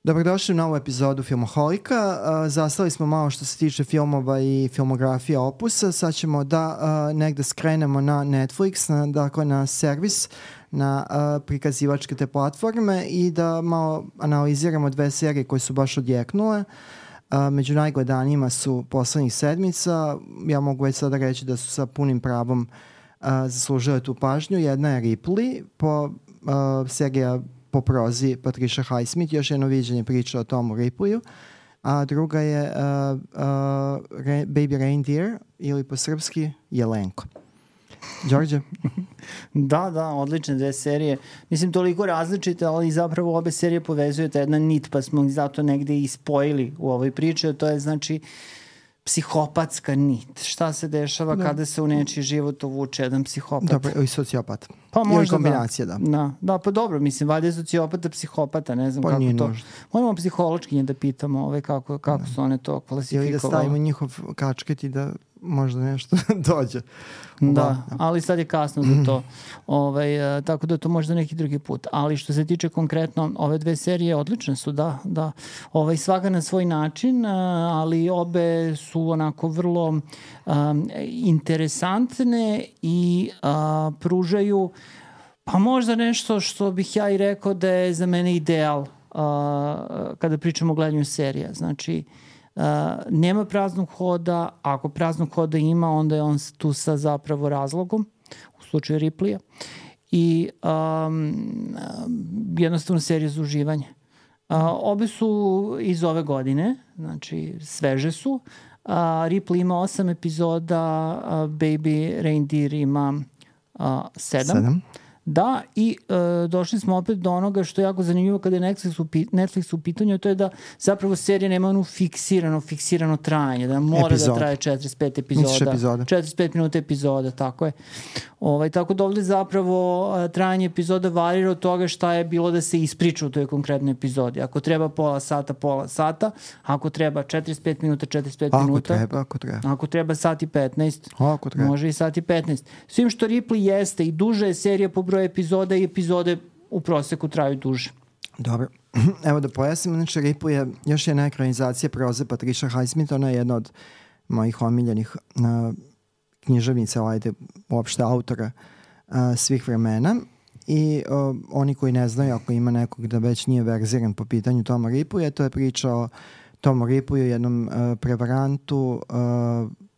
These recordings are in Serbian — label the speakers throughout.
Speaker 1: Dobrodošli u novu epizodu Filmoholika. Zastali smo malo što se tiče filmova i filmografija opusa. Sad ćemo da negde skrenemo na Netflix, dakle na servis, na prikazivačke te platforme i da malo analiziramo dve serije koje su baš odjeknule. Među najgledanijima su poslednjih sedmica. Ja mogu već sada reći da su sa punim pravom zaslužile tu pažnju. Jedna je Ripley, serija po prozi Patricia Highsmith, još jedno viđenje priča o Tomu Ripleyu, a druga je Baby Reindeer ili po srpski Jelenko. Đorđe?
Speaker 2: Da, odlične dve serije. Mislim, toliko različite, ali zapravo obe serije povezuje ta jedna nit, pa smo ih zato negde i spojili u ovoj priči, a to je znači psihopatska nit. Šta se dešava kada se u nečiji život uvuče jedan psihopat?
Speaker 1: Dobro, i sociopat.
Speaker 2: Pa možda
Speaker 1: ili kombinacija,
Speaker 2: da, pa dobro, mislim, valjda je sociopata psihopata, ne znam kako to. Moramo psiholočkinje da pitamo kako su one to klasifikovali.
Speaker 1: Ili da stavimo njihov kačket i da možda nešto dođe.
Speaker 2: Da, ali sad je kasno za to. Tako da to možda neki drugi put. Ali što se tiče konkretno, ove dve serije odlične su, da. Svaka na svoj način, ali obe su onako vrlo interesantne i pružaju pa možda nešto što bih ja i rekao da je za mene ideal kada pričamo o gledanju serija. Znači, nema praznog hoda, ako praznog hoda ima, onda je on tu sa zapravo razlogom, u slučaju Ripleya, i jednostavno serija za uživanje. Obe su iz ove godine, znači sveže su. Ripley ima 8 epizoda, Baby Reindeer ima 7. Da, i došli smo opet do onoga što je jako zanimljivo kada je Netflix u pitanju, to je da zapravo serija nema onu fiksirano trajanje, da mora da traje 45 epizoda. 45 minuta epizoda, tako je. Tako da ovde zapravo trajanje epizoda varira od toga šta je bilo da se ispriča u toj konkretnoj epizodi. Ako treba pola sata, ako treba 45 minuta, 45 minuta. Ako treba sat i 15, može i sat i 15. Svim što Ripley jeste i duže je serija po broju epizoda i epizode u proseku traju duže.
Speaker 1: Dobro. Evo da pojasnim, znači Ripley je još jedna ekranizacija proze Patricia Highsmith, ona je jedna od mojih omiljenih književnica, uopšte autora svih vremena. I oni koji ne znaju, ako ima nekog da već nije verziran po pitanju Toma Ripleya, to je priča o Tomu Ripleyu, jednom prevarantu,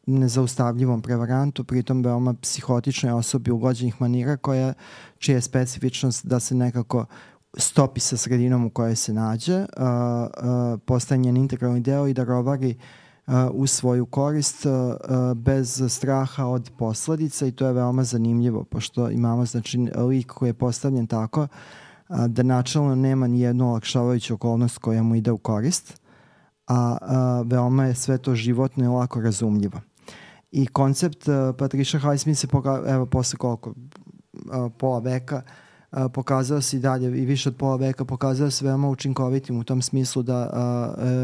Speaker 1: nezaustavljivom prevarantu, pritom veoma psihotičnoj osobi ugođenih manira čija je specifičnost da se nekako stopi sa sredinom u kojoj se nađe, postaje njen integralni deo i da rovari u svoju korist bez straha od posledica, i to je veoma zanimljivo, pošto imamo znači lik koji je postavljen tako da načelno nema ni jednu olakšavajuću okolnost koja mu ide u korist, a veoma je sve to životno i lako razumljivo. I koncept Patricia Highsmith se posle koliko pola veka pokazao se i dalje, i više od pola veka pokazao se veoma učinkovitim u tom smislu da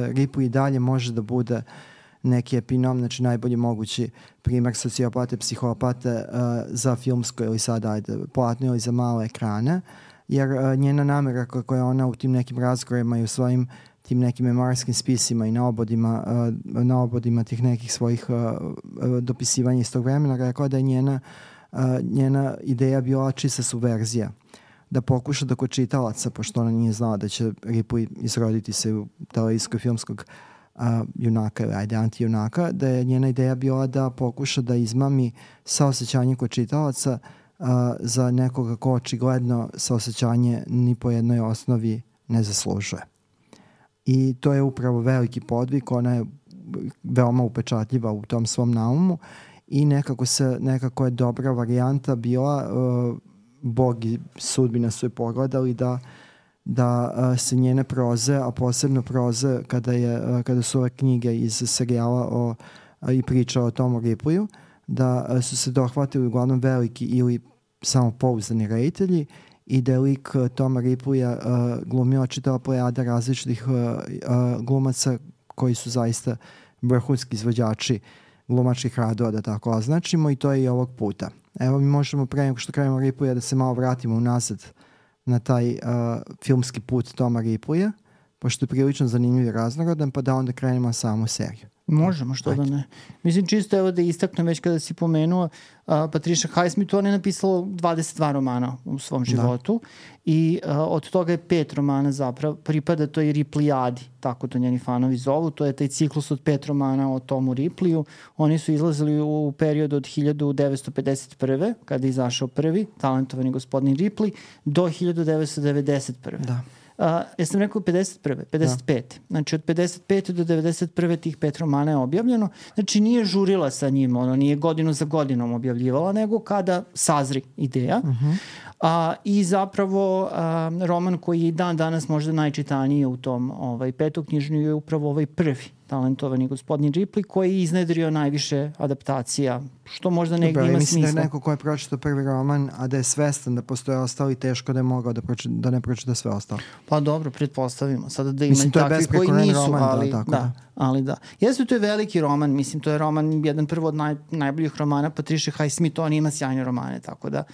Speaker 1: Ripley dalje može da bude neki epinom, znači najbolji mogući primer sociopate, psihopate za filmsko ili sad platno ili za male ekrane, jer njena namera koja ona u tim nekim razgovorima i u svojim tim nekim memoarskim spisima i na obodima tih nekih svojih dopisivanja iz tog vremena rekla da je njena ideja bila čista subverzija, da pokuša da kod čitalaca, pošto ona nije znala da će Ripley izroditi se u televizijskog filmskog junaka ili anti-junaka, da je njena ideja bila da pokuša da izmami saosećanje kod čitalaca za nekoga ko očigledno saosećanje ni po jednoj osnovi ne zaslužuje. I to je upravo veliki podvig, ona je veoma upečatljiva u tom svom naumu i nekako je dobra varijanta bila, Bog i sudbina su je pogledali da se njene proze, a posebno proze kada su ove knjige iz serijala i priča o Tomu Ripleyu, da su se dohvatili uglavnom veliki ili samopouzdani reditelji i da je lik Toma Ripleya glumila čitava plejada različitih glumaca koji su zaista vrhunski izvođači glumačkih radova, da tako označimo, i to je i ovog puta. Evo mi možemo pre nego što krenemo Ripleya da se malo vratimo unazad na taj filmski put Toma Ripleya, pošto je prilično zanimljiv i raznorodan, pa da onda krenemo samu seriju.
Speaker 2: Možemo, što da ne. Mislim, čisto evo da istaknem već kada si pomenuo Patricia Highsmith, ona je napisala 22 romana u svom životu i od toga je 5 romana zapravo pripada toj Ripleyadi, tako to njeni fanovi zovu, to je taj ciklus od 5 romana o Tomu Ripleyu. Oni su izlazili u periodu od 1951. kada je izašao prvi, Talentovani gospodin Ripley, do 1991.
Speaker 1: Da.
Speaker 2: Ja sam rekao 51. 55. Znači od 55. do 91. tih 5 romana je objavljeno. Znači nije žurila sa njim, ono nije godinu za godinom objavljivala, nego kada sazri ideja. I zapravo roman koji je i dan danas možda najčitaniji u tom petoknjižnju je upravo ovaj prvi, Talentovani gospodin Ripley, koji je iznedrio najviše adaptacija, što možda negdje ima smisla.
Speaker 1: Mislim da je neko ko je pročitao prvi roman, a da je svestan da postoje ostali, teško da je mogao da ne pročita sve ostalo.
Speaker 2: Pa dobro, pretpostavimo. Sada da ima takvi koji nisu, roman, ali da. Jeste, to je veliki roman, mislim, to je roman, jedan prvo od najboljih romana Patricia Highsmith, on ima sjajne romane, tako da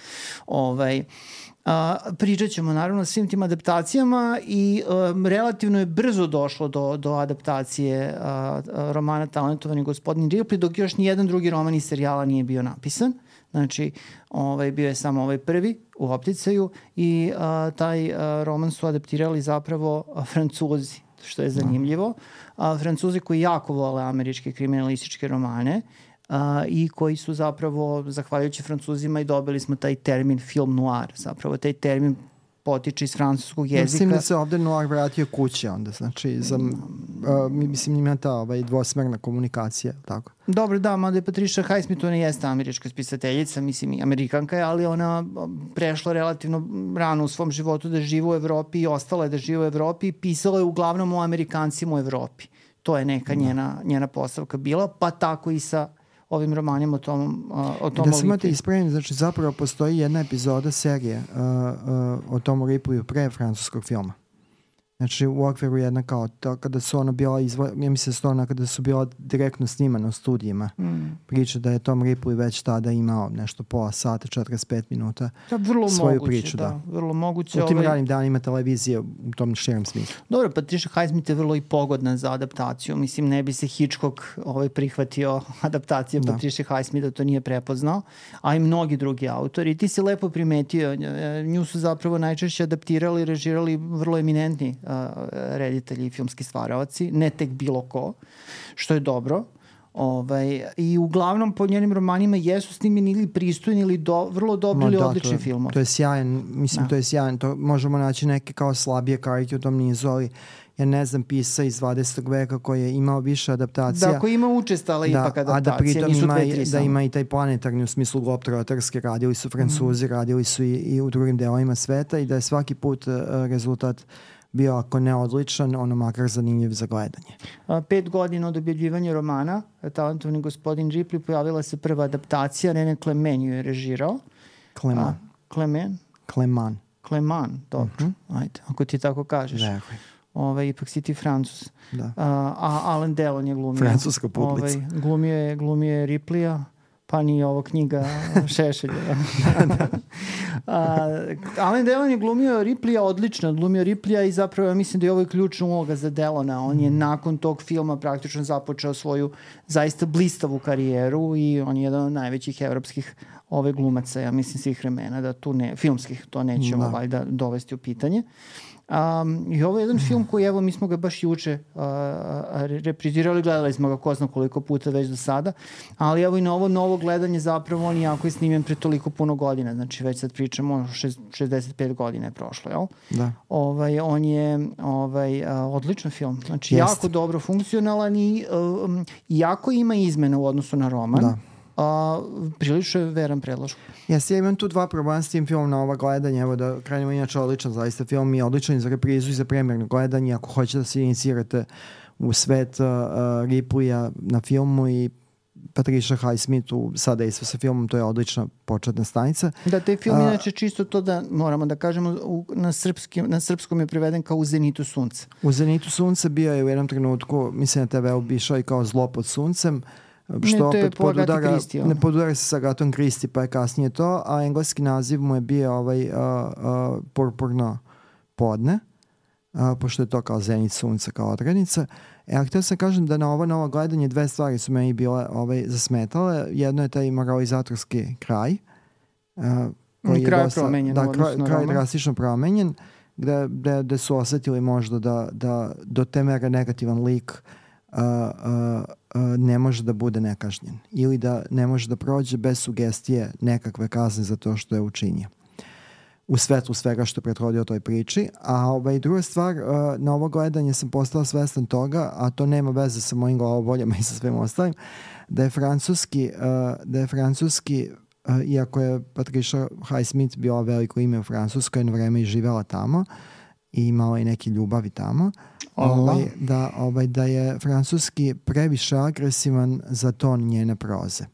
Speaker 2: pričat ćemo naravno o svim tim adaptacijama i relativno je brzo došlo do adaptacije romana Talentovani gospodin Ripley, dok još nijedan drugi roman iz serijala nije bio napisan. Znači, bio je samo ovaj prvi u opticaju i taj roman su adaptirali zapravo Francuzi, što je zanimljivo. Francuzi koji jako vole američke kriminalističke romane i koji su zapravo, zahvaljujući Francuzima, i dobili smo taj termin film noir. Zapravo taj termin potiče iz francuskog jezika.
Speaker 1: Mislim da se ovde noir vratio kući onda, znači mislim ima ta dvosmerna komunikacija, tako.
Speaker 2: Dobro, da, mada je Patricia Highsmith, ona jeste američka spisateljica, mislim i Amerikanka je, ali ona prešla relativno rano u svom životu da živi u Evropi i ostala je da živi u Evropi i pisala je uglavnom o Amerikancima u Evropi. To je neka njena postavka bila, pa tako i sa ovim romanima o tom
Speaker 1: Da samo te ispravim, znači zapravo postoji jedna epizoda serije o Tomu Ripleyu pre francuskog filma. Znači u okviru jedna kao to, kada su ona bila ja mislim da ona kada su bila direktno snimana u studijima. Priča da je Tom Ripley već tada imao nešto pola sata, 45 minuta svoju priču.
Speaker 2: Vrlo moguće.
Speaker 1: U tim ranim danima televizije u tom širem smislu.
Speaker 2: Dobro, Patricia Highsmith je vrlo i pogodna za adaptaciju. Mislim, ne bi se Hitchcock prihvatio adaptacije Patricia Highsmith da to nije prepoznao, a i mnogi drugi autori. Ti si lepo primetio, nju su zapravo najčešće adaptirali i režirali vrlo eminentni reditelji i filmski stvaravaci, ne tek bilo ko, što je dobro. I uglavnom po njenim romanima jesu snimljeni ili pristojni ili vrlo dobri ili odlični filmovi.
Speaker 1: To je sjajan, mislim to je sjajan, to možemo naći neke kao slabije karike u tom nizu, ali ja ne znam pisa iz 20. veka koji je imao više adaptacija.
Speaker 2: Da, koji ima učestala ipak adaptacije,
Speaker 1: a da pritom ima i taj planetarni u smislu globtroterski, radili su Francuzi, radili su i u drugim delovima sveta i da je svaki put rezultat bio, ako ne odličan, ono makar zanimljiv za gledanje.
Speaker 2: 5 godina od objavljivanja romana Talentovani gospodin Ripley pojavila se prva adaptacija, René Clément ju je režirao. Clément, dobro. Ajde, ako ti tako kažeš. Ipak si ti Francuz. A Alain Delon je glumio.
Speaker 1: Francuska publica.
Speaker 2: Glumio je Ripleya, pa nije ovo knjiga Šešelja. Alain Delon je glumio Ripleya odlično, glumio Ripleya i zapravo ja mislim da je ovo ključna uloga za Delona. On je nakon tog filma praktično započeo svoju zaista blistavu karijeru i on je jedan od najvećih evropskih glumaca, ja mislim svih vremena, da tu filmskih, to nećemo valjda dovesti u pitanje. I ovo je jedan film koji, evo, mi smo ga baš juče reprizirali, gledali smo ga ko zna koliko puta već do sada, ali evo i na ovo novo gledanje zapravo on jako je snimljen pre toliko puno godina, znači već sad pričamo 65 godina je prošlo, jel?
Speaker 1: Da.
Speaker 2: On je odličan film, znači jako dobro funkcionalan i jako ima izmena u odnosu na roman.
Speaker 1: Da.
Speaker 2: Prilično je veran predložak.
Speaker 1: Ja imam tu 2 problema s tim filmom na ova gledanja, evo da krenemo, inače odličan zaista film i odličan i za reprizu i za premijerno gledanje, ako hoćete da se inicirate u svet Ripleya na filmu i Patricia Highsmith sada isto sa filmom, to je odlična početna stanica.
Speaker 2: Da, taj film inače čisto to da moramo da kažemo, na srpskom je preveden kao U zenitu sunca.
Speaker 1: U zenitu sunca bio je u jednom trenutku, mislim na TV-u bi išao i kao Zlo pod suncem, što opet ne podudara se sa Agatom Christie, pa je kasnije to, a engleski naziv mu je bio Purpurno podne. pošto je to kao zenit sunca, kao odrednica. A htio sam kažem da na ovo novo gledanje 2 stvari su meni bile zasmetale. Jedno je taj moralizatorski kraj, koji je dosta, kraj drastično promenjen, gde su osetili možda da do te mere negativan lik ne može da bude nekažnjen ili da ne može da prođe bez sugestije nekakve kazne za to što je učinio u svetlu svega što prethodio toj priči. A druga stvar, na ovo gledanje sam postao svestan toga, a to nema veze sa mojim glavoboljama i sa svim ostalim, da je francuski, iako je Patricia Highsmith bila veliko ime u Francuskoj, jedno vreme i živela tamo i imala i neke ljubavi tamo, da je francuski previše agresivan za ton njene proze.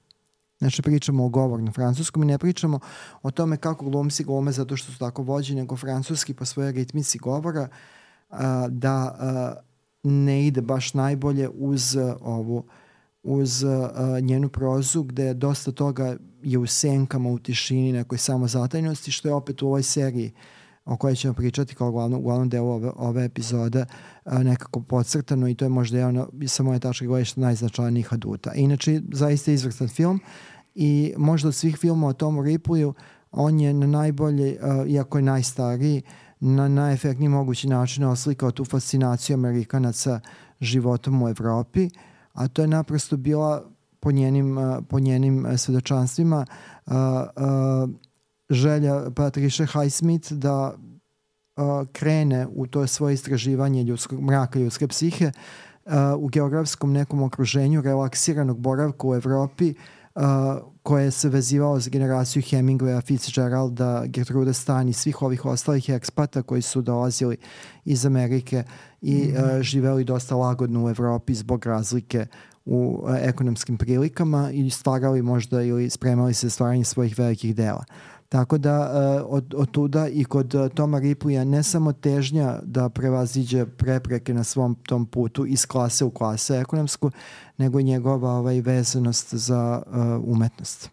Speaker 1: Znači pričamo o govornom francuskom i ne pričamo o tome kako glumci glume zato što su tako vođeni, nego francuski po svojoj ritmici govora da ne ide baš najbolje uz njenu prozu, gde dosta toga je u senkama, u tišini, nekoj samozatajnosti, što je opet u ovoj seriji o kojoj ćemo pričati kao uglavnom delu ove epizode nekako podcrtano, i to je možda jedan sa moje tačke gledišta najznačajnijih aduta. Inače, zaista izvrstan film i možda od svih filmova o Tomu Ripleyu on je na najbolji, iako je najstariji, na najefektniji mogući način oslikao tu fascinaciju Amerikanaca životom u Evropi, a to je naprosto bila po njenim svedočanstvima želja Patricia Highsmith da krene u to svoje istraživanje mraka ljudske psihe u geografskom nekom okruženju relaksiranog boravka u Evropi, koje se vezivalo za generaciju Hemingwaya, Fitzgeralda, Gertrude Stein i svih ovih ostalih ekspata koji su dolazili iz Amerike i živeli dosta lagodno u Evropi zbog razlike u ekonomskim prilikama i stvarali možda ili spremali se stvaranje svojih velikih dela. Tako da od tuda i kod Toma Ripleya ne samo težnja da prevaziđe prepreke na svom tom putu iz klase u klase ekonomsku, nego i njegova vezanost za umetnost.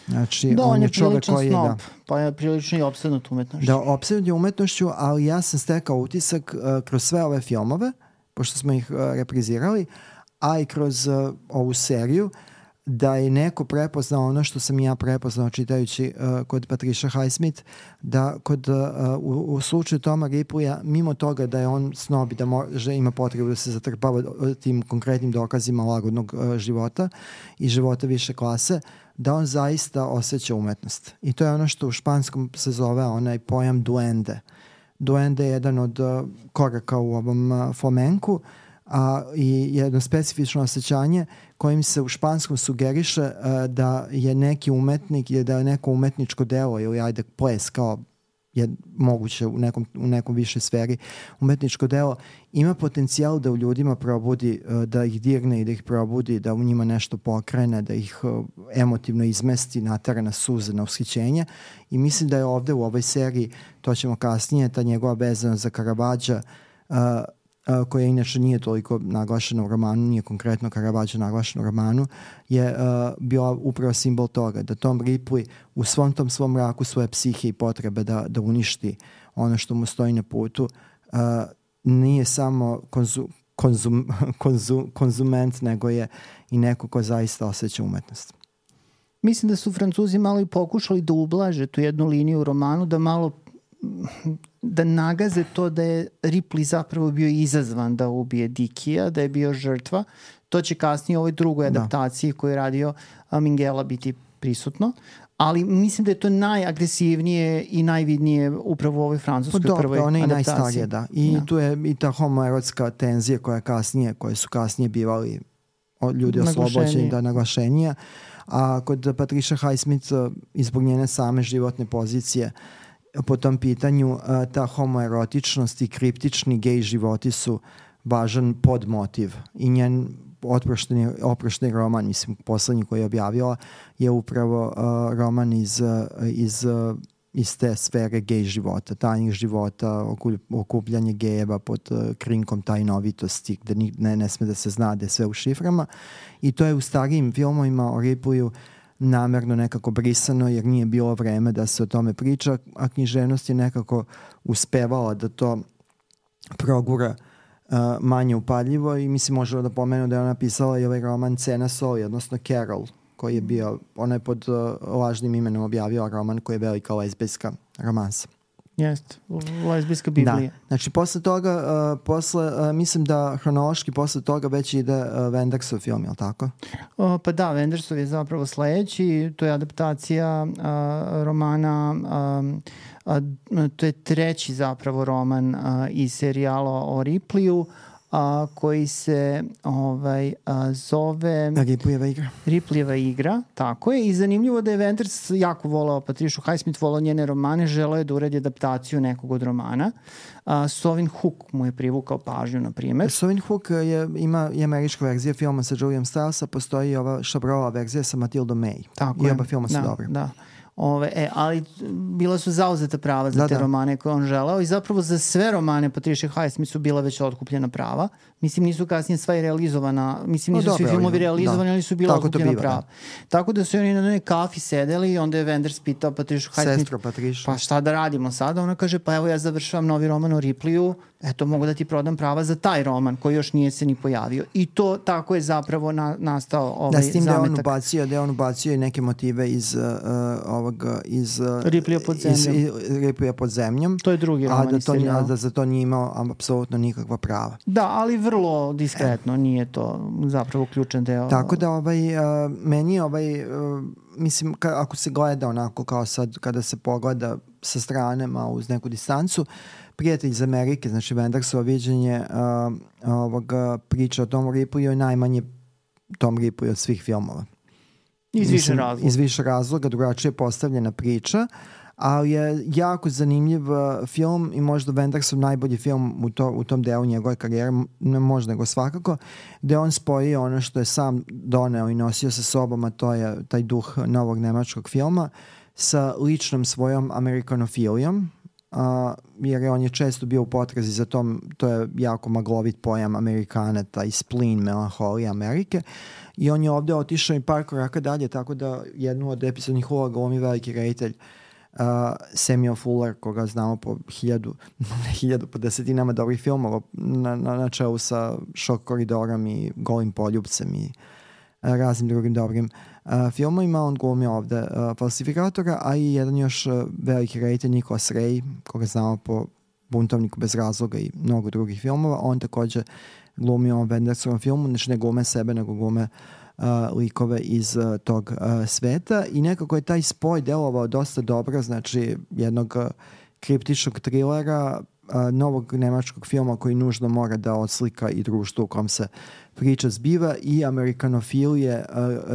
Speaker 1: Znači,
Speaker 2: on je priličan snob, pa je prilično i opsednut umetnošću.
Speaker 1: Da, opsednut je umetnošću, ali ja sam stekao utisak kroz sve ove filmove, pošto smo ih reprizirali, a i kroz ovu seriju, da je neko prepoznao ono što sam ja prepoznao čitajući kod Patricia Highsmith, da u slučaju Toma Ripleya, mimo toga da je on snob i da ima potrebu da se zatrpava tim konkretnim dokazima lagodnog života i života više klase, da on zaista osjeća umetnost. I to je ono što u španskom se zove onaj pojam duende. Duende je jedan od koraka u ovom flamenku, i jedno specifično osjećanje kojim se u španskom sugeriše da je neki umetnik ili da je neko umetničko delo ili ples kao je moguće u nekom više sferi umetničko delo ima potencijal da u ljudima probudi, da ih dirne i da ih probudi, da u njima nešto pokrene, da ih emotivno izmesti, natera na suze, na ushićenje, i mislim da je ovde u ovoj seriji, to ćemo kasnije, ta njegova vezanost za Caravaggia, koja inače nije toliko naglašena u romanu, nije konkretno Caravaggio naglašena u romanu, je bila upravo simbol toga, da Tom Ripley u svom tom svom mraku svoje psihe i potrebe da uništi ono što mu stoji na putu, nije samo konzument, nego je i neko ko zaista osjeća umetnost.
Speaker 2: Mislim da su Francuzi malo i pokušali da ublaže tu jednu liniju u romanu, da nagaze to da je Ripley zapravo bio izazvan da ubije Dickija, da je bio žrtva. To će kasnije u ovoj drugoj adaptaciji koju je radio Minghella biti prisutno, ali mislim da je to najagresivnije i najvidnije upravo u ovoj francuskoj prvoj adaptaciji. Ona je i najstarija,
Speaker 1: da. I tu je i ta homoerotska tenzija koje su kasnije bivali ljudi oslobođeni, da, naglašenija. A kod Patricia Highsmith, izbog njene same životne pozicije po tom pitanju, ta homoerotičnost i kriptični gej životi su važan podmotiv. I njen oprošteni roman, mislim, poslednji koji je objavila, je upravo roman iz te sfere gej života, tajnih života, okupljanje gejeva pod krinkom tajnovitosti, gde ne sme da se zna da je sve u šiframa. I to je u starijim filmovima o Ripleyu namerno nekako brisano, jer nije bilo vreme da se o tome priča, a književnost je nekako uspevala da to progura manje upadljivo i mislim možemo da pomenu da je ona pisala i ovaj roman Cena soli, odnosno Carol, koji je bio, ona je pod lažnim imenom objavio roman koji je velika lezbijska romansa.
Speaker 2: Jeste, lezbijska Biblija.
Speaker 1: Da, znači posle toga, mislim da hronološki posle toga već ide Wendersov film, je li tako?
Speaker 2: Pa da, Wendersov je zapravo sledeći, to je adaptacija romana, to je treći zapravo roman iz serijala o Ripleyu, koji se zove Ripleyeva igra, tako je. I zanimljivo da je Wenders jako volao Patricia Highsmith, volao njene romane, želeo je da uredi adaptaciju nekog od romana. Sovin Hook mu je privukao pažnju, na primjer.
Speaker 1: Sovin Hook ima i američka verzija filma sa Juliom Stills, postoji ova Chabrolova verzija sa Matilda May.
Speaker 2: Tako
Speaker 1: I oba filma su dobri.
Speaker 2: Da. Ali bila su zauzeta prava za te romane koje on želeo i zapravo za sve romane Patricia Highsmith su bila već otkupljena prava. Mislim, nisu kasnije sva i realizovana, mislim, nisu svi filmovi realizovani, ali su bila otkupljena prava. Tako da su oni na jednoj kafi sedeli i onda je Wenders pitao Patricia Highsmith, pa šta da radimo sada? Ona kaže, pa evo ja završavam novi roman o Ripleyu, eto mogu da ti prodam prava za taj roman koji još nije se ni pojavio. I to tako je zapravo nastao ovaj zametak. Da, s tim
Speaker 1: da je on ubacio i neke motive iz
Speaker 2: Ripleya
Speaker 1: pod zemljom.
Speaker 2: To je drugi roman iz serijala.
Speaker 1: A da za to nije imao apsolutno nikakva prava.
Speaker 2: Da, ali vrlo diskretno, nije to zapravo ključan deo.
Speaker 1: Tako da meni je mislim, ako se gleda onako kao sad, kada se pogleda sa strane, malo uz neku distancu, Prijatelj iz Amerike, znači Wendersovo viđenje priča o Tom Ripleyu je najmanje Tom Ripley od svih filmova. Iz više razloga, drugačije je postavljena priča, ali je jako zanimljiv film i možda Wendersov najbolji film u tom delu njegove karijere, ne možda nego svakako, gde on spoji ono što je sam doneo i nosio sa sobom, a to je taj duh novog nemačkog filma, sa ličnom svojom amerikanofilijom, jer on je često bio u potrazi za tom, to je jako maglovit pojam Amerikana, taj spleen, melanholija Amerike, i on je ovde otišao i par koraka dalje, tako da jednu od epizodnih uloga glumi veliki reditelj Samuel Fuller, koga znamo po po desetinama dobrih filmova na čelu sa Šok koridorom i Golim poljupcem i raznim drugim dobrim filmovima. On glumi ovde falsifikatora, a i jedan još veliki reditelj Nicholas Ray, koga znamo po Buntovniku bez razloga i mnogo drugih filmova. On takođe glumi u ovom Wendersovom filmu, znači ne glume sebe, nego glume likove iz tog sveta i nekako je taj spoj delovao dosta dobro, znači jednog kriptičnog trilera, novog nemačkog filma koji nužno mora da odslika i društvo u kom se priča zbiva i amerikanofilije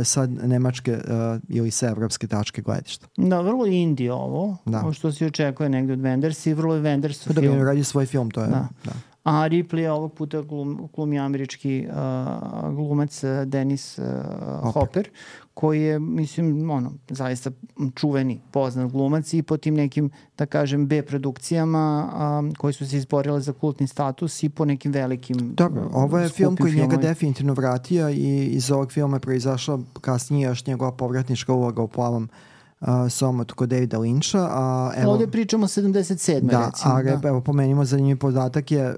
Speaker 1: sa nemačke ili sa evropske tačke gledišta.
Speaker 2: Da, vrlo indie ovo što se očekuje negde od Wendersa i vrlo je Wendersov film.
Speaker 1: Da bi radi svoj film, to je. Da.
Speaker 2: A Ripley ovog puta glumi američki glumac Dennis Hopper, koji je, mislim, zaista čuveni, poznat glumac i po tim nekim, da kažem, B produkcijama koji su se izborile za kultni status i po nekim velikim
Speaker 1: Dobro, ovo je film koji njega definitivno vratio i iz ovog filma je proizašla kasnije još njegova povratnička uloga u Plavom somotu kod Davida Lyncha.
Speaker 2: Ovdje pričamo 77. recimo.
Speaker 1: Evo, pomenimo zanimljiv podatak je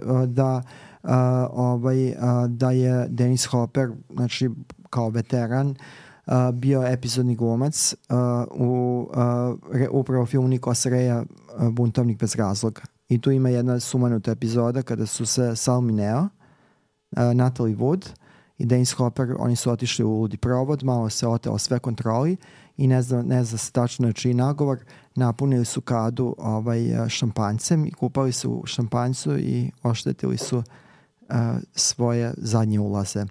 Speaker 1: da je Dennis Hopper, znači kao veteran, bio epizodni glumac u upravo filmu Nicholasa Raya Buntovnik bez razloga. I tu ima jedna sumanuta epizoda kada su se Sal Mineo, Natalie Wood i Dennis Hopper, oni su otišli u ludi provod, malo se oteo sve kontroli i ne zna se tačno čiji nagovor, napunili su kadu šampanjcem i kupali su u šampanjcu i oštetili su svoje zadnje ulaze.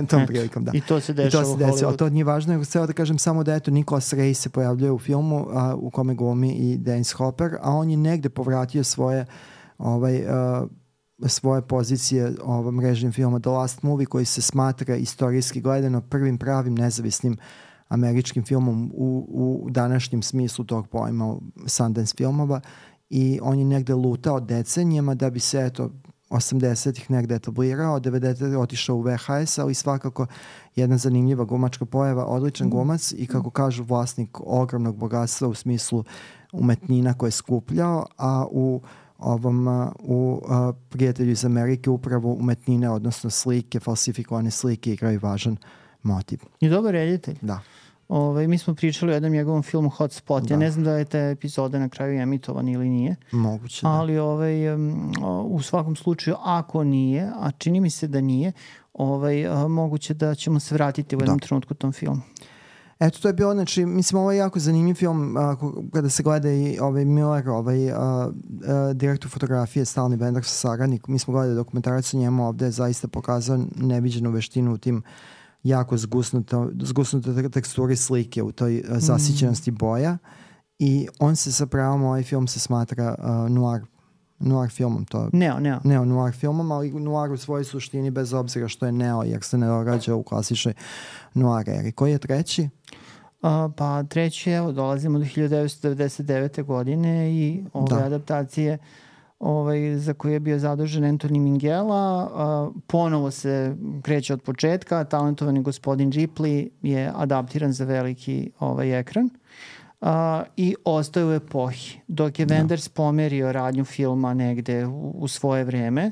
Speaker 1: Tom prilikom, da.
Speaker 2: I to se dešava u Hollywoodu.
Speaker 1: To nije važno, nego sve da kažem samo da eto Nicholas Ray se pojavljuje u filmu u kome glumi i Dennis Hopper, a on je negde povratio svoje pozicije mrežnim filma The Last Movie, koji se smatra istorijski gledano prvim pravim nezavisnim američkim filmom u današnjem smislu tog pojma Sundance filmova, i on je negde lutao decenijama da bi se 80-ih negde etablirao, 90-ih otišao u VHS, ali svakako jedna zanimljiva glumačka pojava, odličan glumac i kako kažu vlasnik ogromnog bogatstva u smislu umetnina koje je skupljao, a u u Prijatelju iz Amerike upravo umetnine, odnosno slike, falsifikovane slike igraju važan motiv.
Speaker 2: I dobar reditelj.
Speaker 1: Da.
Speaker 2: Mi smo pričali o jednom njegovom filmu Hotspot. Da. Ja ne znam da je te epizode na kraju emitovani ili nije.
Speaker 1: Moguće, da.
Speaker 2: Ali u svakom slučaju, ako nije, a čini mi se da nije, moguće da ćemo se vratiti u jednom trenutku tom filmu.
Speaker 1: Eto, to je bilo, znači, mislim, ovo je jako zanimljiv film kada se gleda i Miller, direktor fotografije, Stalni Bender sa saradnik. Mi smo gledali dokumentarac o njemu, ovde je zaista pokazao neviđenu veštinu u tim jako zgusnute teksturi slike, u toj zasićenosti boja, i on se sa pravom, ovaj film se smatra noir filmom. Neo-noir filmom, ali noir u svojoj suštini bez obzira što je neo, jer se ne događa u klasičnoj noir eri. Koji je treći?
Speaker 2: Pa treći, evo, dolazimo do 1999. godine i ove adaptacije za koje je bio zadužen Anthony Minghella. Ponovo se kreće od početka. Talentovani gospodin Ripley je adaptiran za veliki ekran i ostaje u epohi. Dok je Wenders pomerio radnju filma negde u svoje vreme,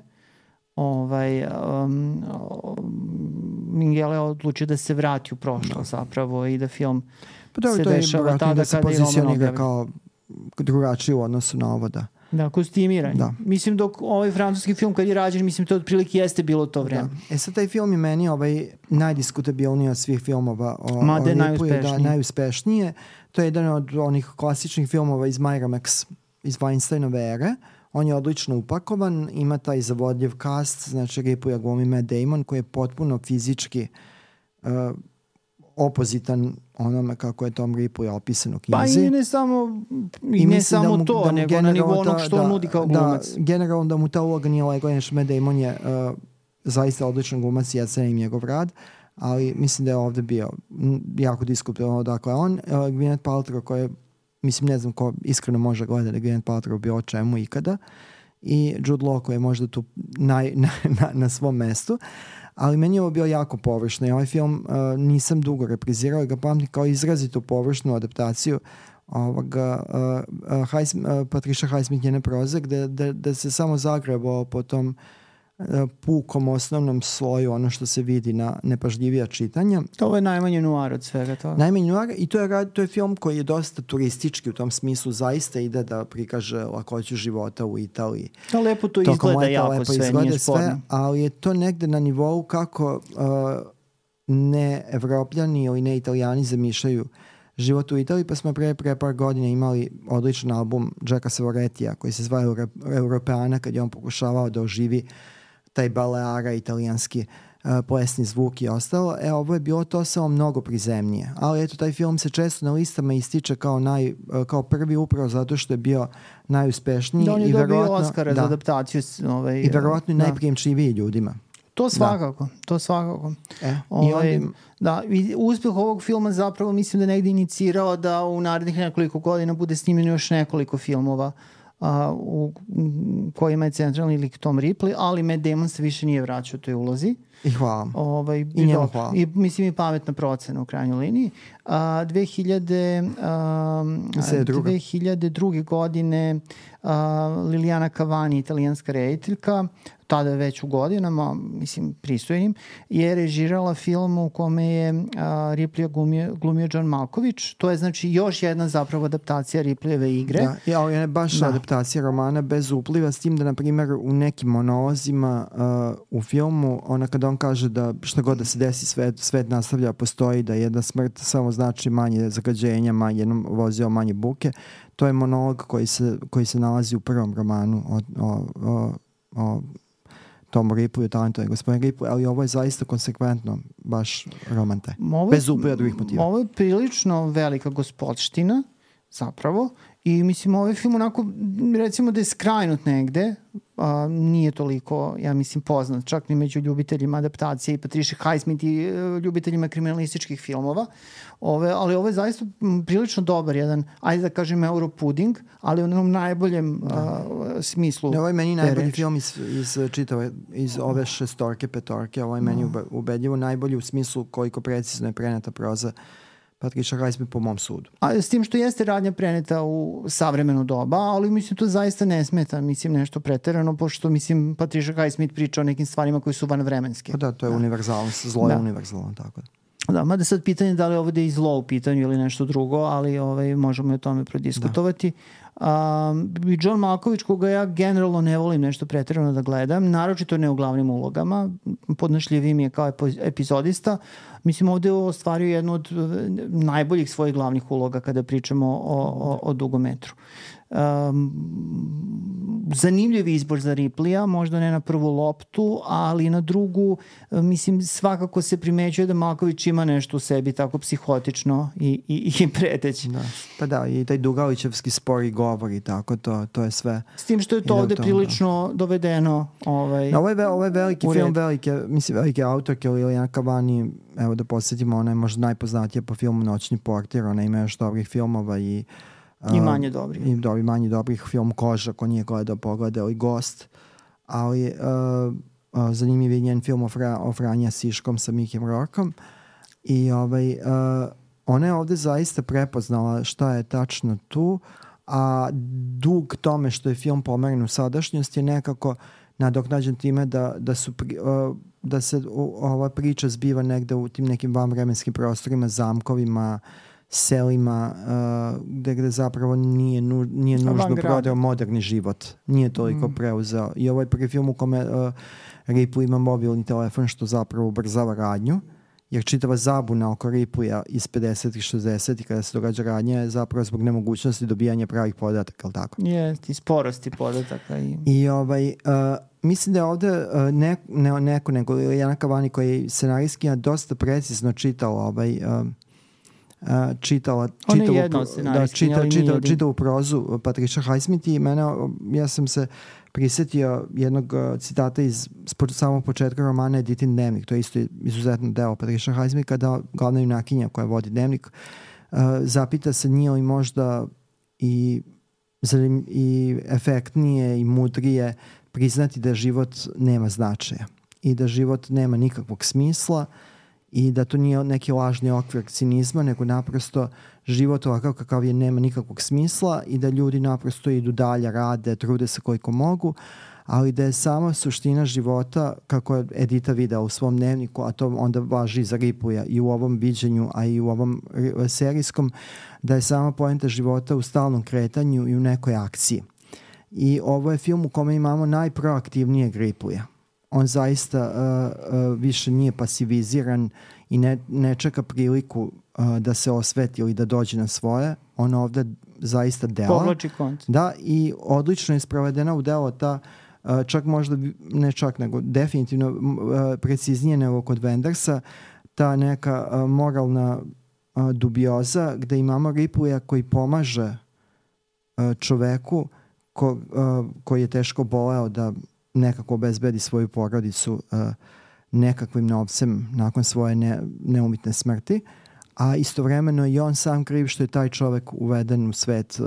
Speaker 2: Minghella je odlučio da se vrati u prošlost zapravo i da film se dešava tada kada je Roman objavio.
Speaker 1: Kao drugačiji u odnosu na ovo, da.
Speaker 2: Da, kostimiranje. Da. Mislim, dok ovaj francuski film kad je rađen, mislim, to otprilike jeste bilo to vreme.
Speaker 1: Da. Sad taj film je meni najdiskutabilniji od svih filmova o Ripu, najuspešnije. To je jedan od onih klasičnih filmova iz Miramax, iz Weinsteinove ere. On je odlično upakovan, ima taj zavodljiv cast, znači Ripuja glumi Matt Damon, koji je potpuno fizički opozitan onome kako je Tom Ripley opisan u knjizi.
Speaker 2: Pa i ne samo to, nego na nivou onog što on nudi kao glumac.
Speaker 1: Generalno da mu ta uloga nije legla, jer Matt Damon je zaista odličan glumac i ja cenim njegov rad, ali mislim da je ovde bio jako diskutabilno. Dakle, on, Gwyneth Paltrow, koja je, mislim, ne znam ko iskreno može gledati da Gwyneth Paltrow bio o čemu ikada, i Jude Law koji je možda tu na svom mestu, ali meni je ovo bio jako površno i ovaj film nisam dugo reprizirao i ga pamtim kao izrazito površnu adaptaciju Patricia Highsmith njene proze, da se samo zagrebao po tom pukom osnovnom sloju, ono što se vidi na nepažljivija čitanja.
Speaker 2: To je najmanje noir od svega toga.
Speaker 1: Najmanje noir, i to je film koji je dosta turistički u tom smislu, zaista ide da prikaže lakoću života u Italiji.
Speaker 2: To lepo to izgleda jako sve, nije sporno.
Speaker 1: Ali je to negde na nivou kako ne Evropljani ili ne Italijani zamišljaju život u Italiji, pa smo pre par godina imali odličan album Jacka Savoretija koji se zove Europeana, kad je on pokušavao da oživi taj Baleara, italijanski plesni zvuk i ostalo. Ovo je bilo to samo mnogo prizemnije. Ali eto, taj film se često na listama ističe kao prvi upravo zato što je bio najuspešniji.
Speaker 2: Da, on je dobio Oscara za adaptaciju.
Speaker 1: I verovatno i najprijemčiviji ljudima.
Speaker 2: To svakako. Uspeh ovog filma zapravo mislim da je negdje inicirao da u narednih nekoliko godina bude snimljeno još nekoliko filmova u kojima je centralni lik Tom Ripley, ali Matt Damon se više nije vraćao u toj ulozi.
Speaker 1: I hvala.
Speaker 2: I njemu hvala. I mislim i pametna procena u krajnjoj liniji. 2002. godine Liliana Cavani, italijanska rediteljka, tada već u godinama, mislim pristojnim, je režirala film u kome je Ripley glumio John Malkovich. To je znači još jedna zapravo adaptacija Ripleyeve igre.
Speaker 1: Da, ovo je baš adaptacija romana bez upliva, s tim da, na primjer, u nekim monolozima u filmu, kada on kaže da šta god da se desi, svet nastavlja, postoji, da jedna smrt samo znači manje zagađenja, jednom vozio manje buke. To je monolog koji se nalazi u prvom romanu o Tomu Ripleyu, talentovani gospodin Ripley, ali ovo je zaista konsekventno baš romante. Bez upliva drugih motiva.
Speaker 2: Ovo je prilično velika gospodština, zapravo, i mislim ovaj film onako, recimo da je skrajnut negde, nije toliko, ja mislim, poznat, čak ni među ljubiteljima adaptacije i Patricia Highsmith i ljubiteljima kriminalističkih filmova, ali ovo je zaista prilično dobar jedan, ajde da kažem, Europuding, ali u onom najboljem smislu.
Speaker 1: Ovo je meni najbolji film iz ove petorke, ovo je meni ubedljivo najbolji u smislu koliko precizno je preneta proza Patricia Highsmith po mom sudu.
Speaker 2: A s tim što jeste radnja preneta u savremeno doba, ali mislim to zaista ne smeta, mislim nešto preterano, pošto mislim Patricia Highsmith priča o nekim stvarima koji su vanvremenske.
Speaker 1: Pa da, to je univerzalnost, zlo je univerzalno, tako da.
Speaker 2: Da, mada sad pitanje da li je ovdje i zlo u pitanju ili nešto drugo, ali možemo o tome prodiskutovati. I John Malkovich, koga ja generalno ne volim nešto preterano da gledam, naročito ne u glavnim ulogama, podnošljiviji mi je kao epizodista. Mislim, ovdje je ostvario jednu od najboljih svojih glavnih uloga kada pričamo o dugometru. Zanimljiv izbor za Ripleya, možda ne na prvu loptu, ali na drugu, mislim, svakako se primećuje da Malkovich ima nešto u sebi tako psihotično i preteći.
Speaker 1: Da. Pa da, i taj Dugalićevski spori govor i tako, to je sve.
Speaker 2: S tim što je to ovde prilično dovedeno.
Speaker 1: Ovo je veliki film, velike autorke Liliana Cavani, evo da posjetimo, ona je možda najpoznatija po filmu Noćni portir, ona ima još dobrih filmova i
Speaker 2: manje dobrih.
Speaker 1: I manje dobrih, film Koža, ko nije gledao, pogledao i Gost, ali zanimljiv je njen film o Franja Siškom sa Mikim Rorkom i ona je ovdje zaista prepoznala šta je tačno tu, a dug tome što je film pomeren u sadašnjost je nekako nadoknađen time da se ova priča zbiva negde u tim nekim vanvremenskim prostorima, zamkovima, selima, gde zapravo nije nužno prodao moderni život. Nije toliko preuzeo. I ovo je prvi film u kome Ripley ima mobilni telefon, što zapravo ubrzava radnju, jer čitava zabuna oko Ripleya iz 50. i 60. kada se događa radnja je zapravo zbog nemogućnosti dobijanja pravih podataka, ali tako?
Speaker 2: Jest, i sporosti podataka.
Speaker 1: I mislim da je ovdje nego Liliana Cavani, koji je scenarijski dosta precizno čitala čitavu prozu Patricia Highsmith i ja sam se prisjetio jednog citata iz samog početka romana Editin dnevnik. To je isto izuzetno deo Patricia Highsmith, kada glavna junakinja koja vodi dnevnik zapita se nije li možda i efektnije i mudrije priznati da život nema značaja i da život nema nikakvog smisla i da to nije neki lažni okvir cinizma, nego naprosto život ovakav kakav je nema nikakvog smisla i da ljudi naprosto idu dalje, rade, trude se koliko mogu, ali da je sama suština života, kako je Edita videla u svom dnevniku, a to onda važi za Ripleya i u ovom viđenju, a i u ovom serijskom, da je sama poenta života u stalnom kretanju i u nekoj akciji. I ovo je film u kome imamo najproaktivnijeg Ripleya. On zaista više nije pasiviziran i ne čeka priliku da se osveti ili da dođe na svoje. On ovdje zaista dela.
Speaker 2: Povlači konc.
Speaker 1: Da, i odlično je sprovedena u delo ta, čak možda, ne čak, nego definitivno preciznije nego kod Wendersa, ta neka moralna dubioza gde imamo Ripleya koji pomaže čoveku koji je teško boleo da nekako obezbedi svoju porodicu nekakvim novcem nakon svoje neumitne smrti, a istovremeno i on sam kriv što je taj čovek uveden u svet,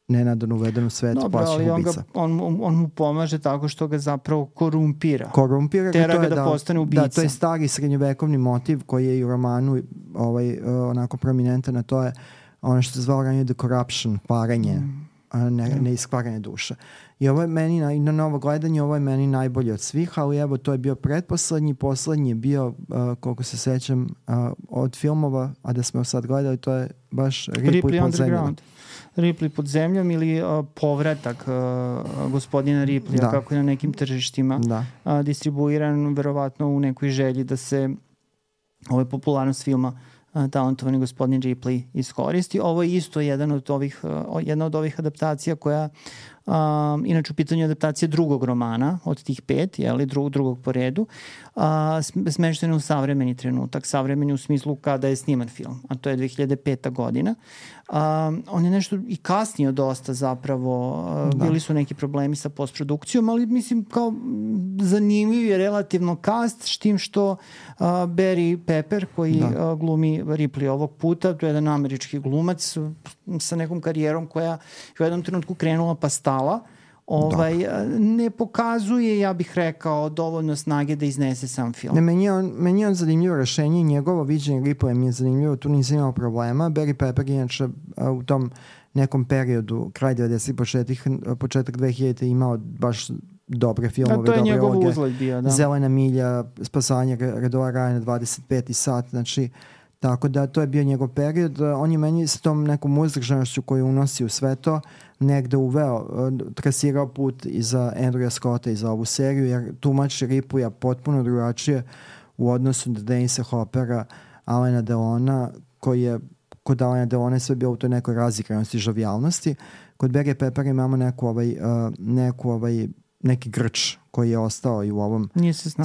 Speaker 1: nenadano uveden u svet plaćenih ubica.
Speaker 2: On mu pomaže tako što ga zapravo korumpira.
Speaker 1: Tera
Speaker 2: ga da postane ubica.
Speaker 1: Da, to je stari srednjovekovni motiv koji je i u romanu onako prominentan, a to je ono što se zvalo ranije the corruption, kvarenje, ne iskvaranje duša. I ovo je meni, na novo gledanje, ovo je meni najbolje od svih, ali evo, to je bio poslednji je bio, koliko se sećam, od filmova, a da smo sad gledali, to je baš Ripley pod zemljom.
Speaker 2: Ripley pod zemljom ili povratak gospodina Ripleya, kako je na nekim tržištima distribuiran, verovatno u nekoj želji da se popularnost filma talentovani gospodin Ripley iskoristi. Ovo je isto jedna od ovih adaptacija koja inače u pitanju adaptacija drugog romana od tih 5, drugog po redu, smešteno u savremeni trenutak, savremeni u smislu kada je sniman film, a to je 2005. godina. On je nešto i kasnije dosta zapravo, bili su neki problemi sa postprodukcijom, ali mislim kao zanimljiv je relativno cast, s tim što Barry Pepper koji glumi Ripley ovog puta, to je jedan američki glumac sa nekom karijerom koja je u jednom trenutku krenula pa stala, ne pokazuje, ja bih rekao, dovoljno snage da iznese sam film.
Speaker 1: Ne, meni je on zanimljivo rešenje i njegovo viđenje Ripley mi je zanimljivo, tu nisam imao problema. Barry Pepper inače u tom nekom periodu, kraj 90-ih, početak 2000 imao baš dobre filmove,
Speaker 2: to je
Speaker 1: dobre
Speaker 2: njegov
Speaker 1: uloge.
Speaker 2: uzlet bio, da.
Speaker 1: Zelena milja, Spasavanje Redova Rajana, 25. sat, znači tako da to je bio njegov period. On je meni s tom nekom uzdržanošću koju unosi u sve to negde uveo, trasirao put i za Andrewa Scotta i za ovu seriju, jer tumači Ripleya potpuno drugačije u odnosu do Denisa Hoppera, Alena Delona, koji je kod Alena Delona sve bio u toj nekoj razigranosti, žavijalnosti. Kod Barry Peppera imamo neki grč koji je ostao i u ovom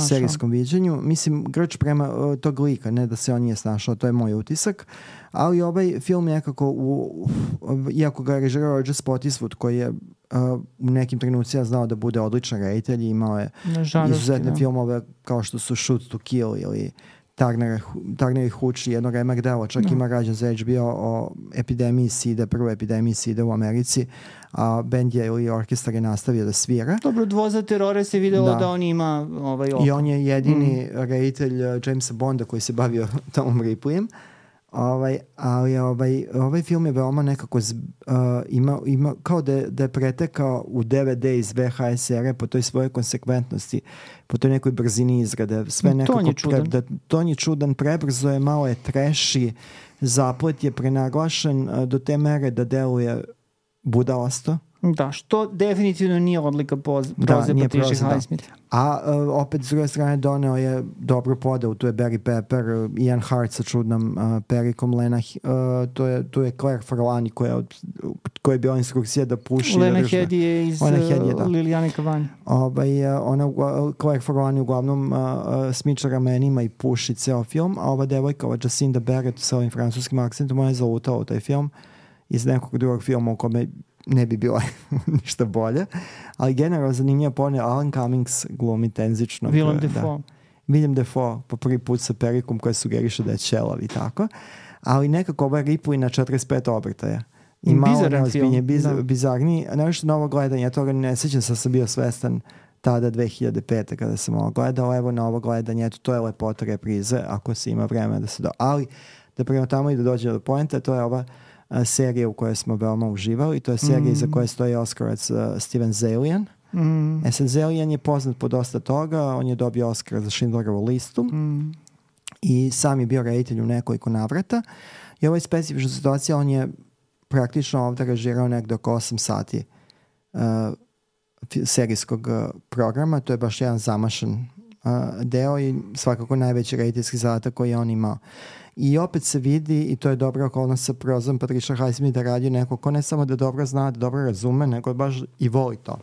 Speaker 1: serijskom viđenju. Mislim, grč prema tog lika, ne da se on nije snašao, to je moj utisak. Ali ovaj film nekako, iako ga je režirao Roger Spottiswoode, koji je u nekim trenucima znao da bude odličan reditelj, imao je izuzetne filmove kao što su Shoot to Kill ili Turner i Hooch, jedno remek delo, čak ima rađen za HBO o epidemiji SIDA, prvoj epidemiji SIDA u Americi, a band je ili orkestar je nastavio da svira.
Speaker 2: Dobro, Dvoza terore se videlo da on ima oko.
Speaker 1: I on je jedini reditelj Jamesa Bonda koji se bavio Tomom Ripleyem. Ali ovaj film je veoma nekako ima kao da je pretekao u DVD iz VHS ere po toj svojoj konsekventnosti, po toj nekoj brzini izrade. Sve nekako ton je čudan, prebrzo je, malo je treši, zaplet je prenaglašen do te mere da deluje budalasto.
Speaker 2: Da, što definitivno nije odlika proze Patricia Highsmith.
Speaker 1: A opet s druge strane doneo je dobru podelu, tu je Barry Pepper, Ian Hart sa čudnom perikom, tu je Claire Forlani koja je bila instrukcija da puši.
Speaker 2: Lena Headey je iz Lilijane Kavanje.
Speaker 1: Claire Forlani uglavnom smiča ramenima i puši ceo film, a ova devojka, Jacinda Barrett sa ovim francuskim akcentom, ona je zalutala u taj film iz nekog drugog filma u kome ne bi bilo ništa bolje. Ali generalno zanimljiva ponija, Alan Cummings glumi tenzično. Willem Dafoe po prvi put sa perikom koja sugeriše da je ćelav i tako. Ali nekako ovaj Ripley na 45 obrtaja. I malo neozbiljnije, bizarniji. Nešto novo gledanje, ja toga ne sjećam, sam bio svestan tada 2005. kada sam ovo gledao. Evo na ovo gledanje, eto, to je lepota reprize, ako se ima vremena da se ali da prema tamo i da dođe do poenta, to je ova serija u kojoj smo veoma uživali. To je serija za koje stoji Oscarac Steven Zaillian. Zaillian je poznat po dosta toga. On je dobio Oscar za Schindlerovu listu i sam je bio reditelj u nekoliko navrata. I ovo je specifična situacija. On je praktično ovdje režirao nekdo oko 8 sati serijskog programa. To je baš jedan zamašan deo i svakako najveći rediteljski zadatak koji je on imao. I opet se vidi, i to je dobra okolnost sa prozom Patricia Highsmith, da radi neko ko ne samo da dobro zna, da dobro razume, nego baš i voli to.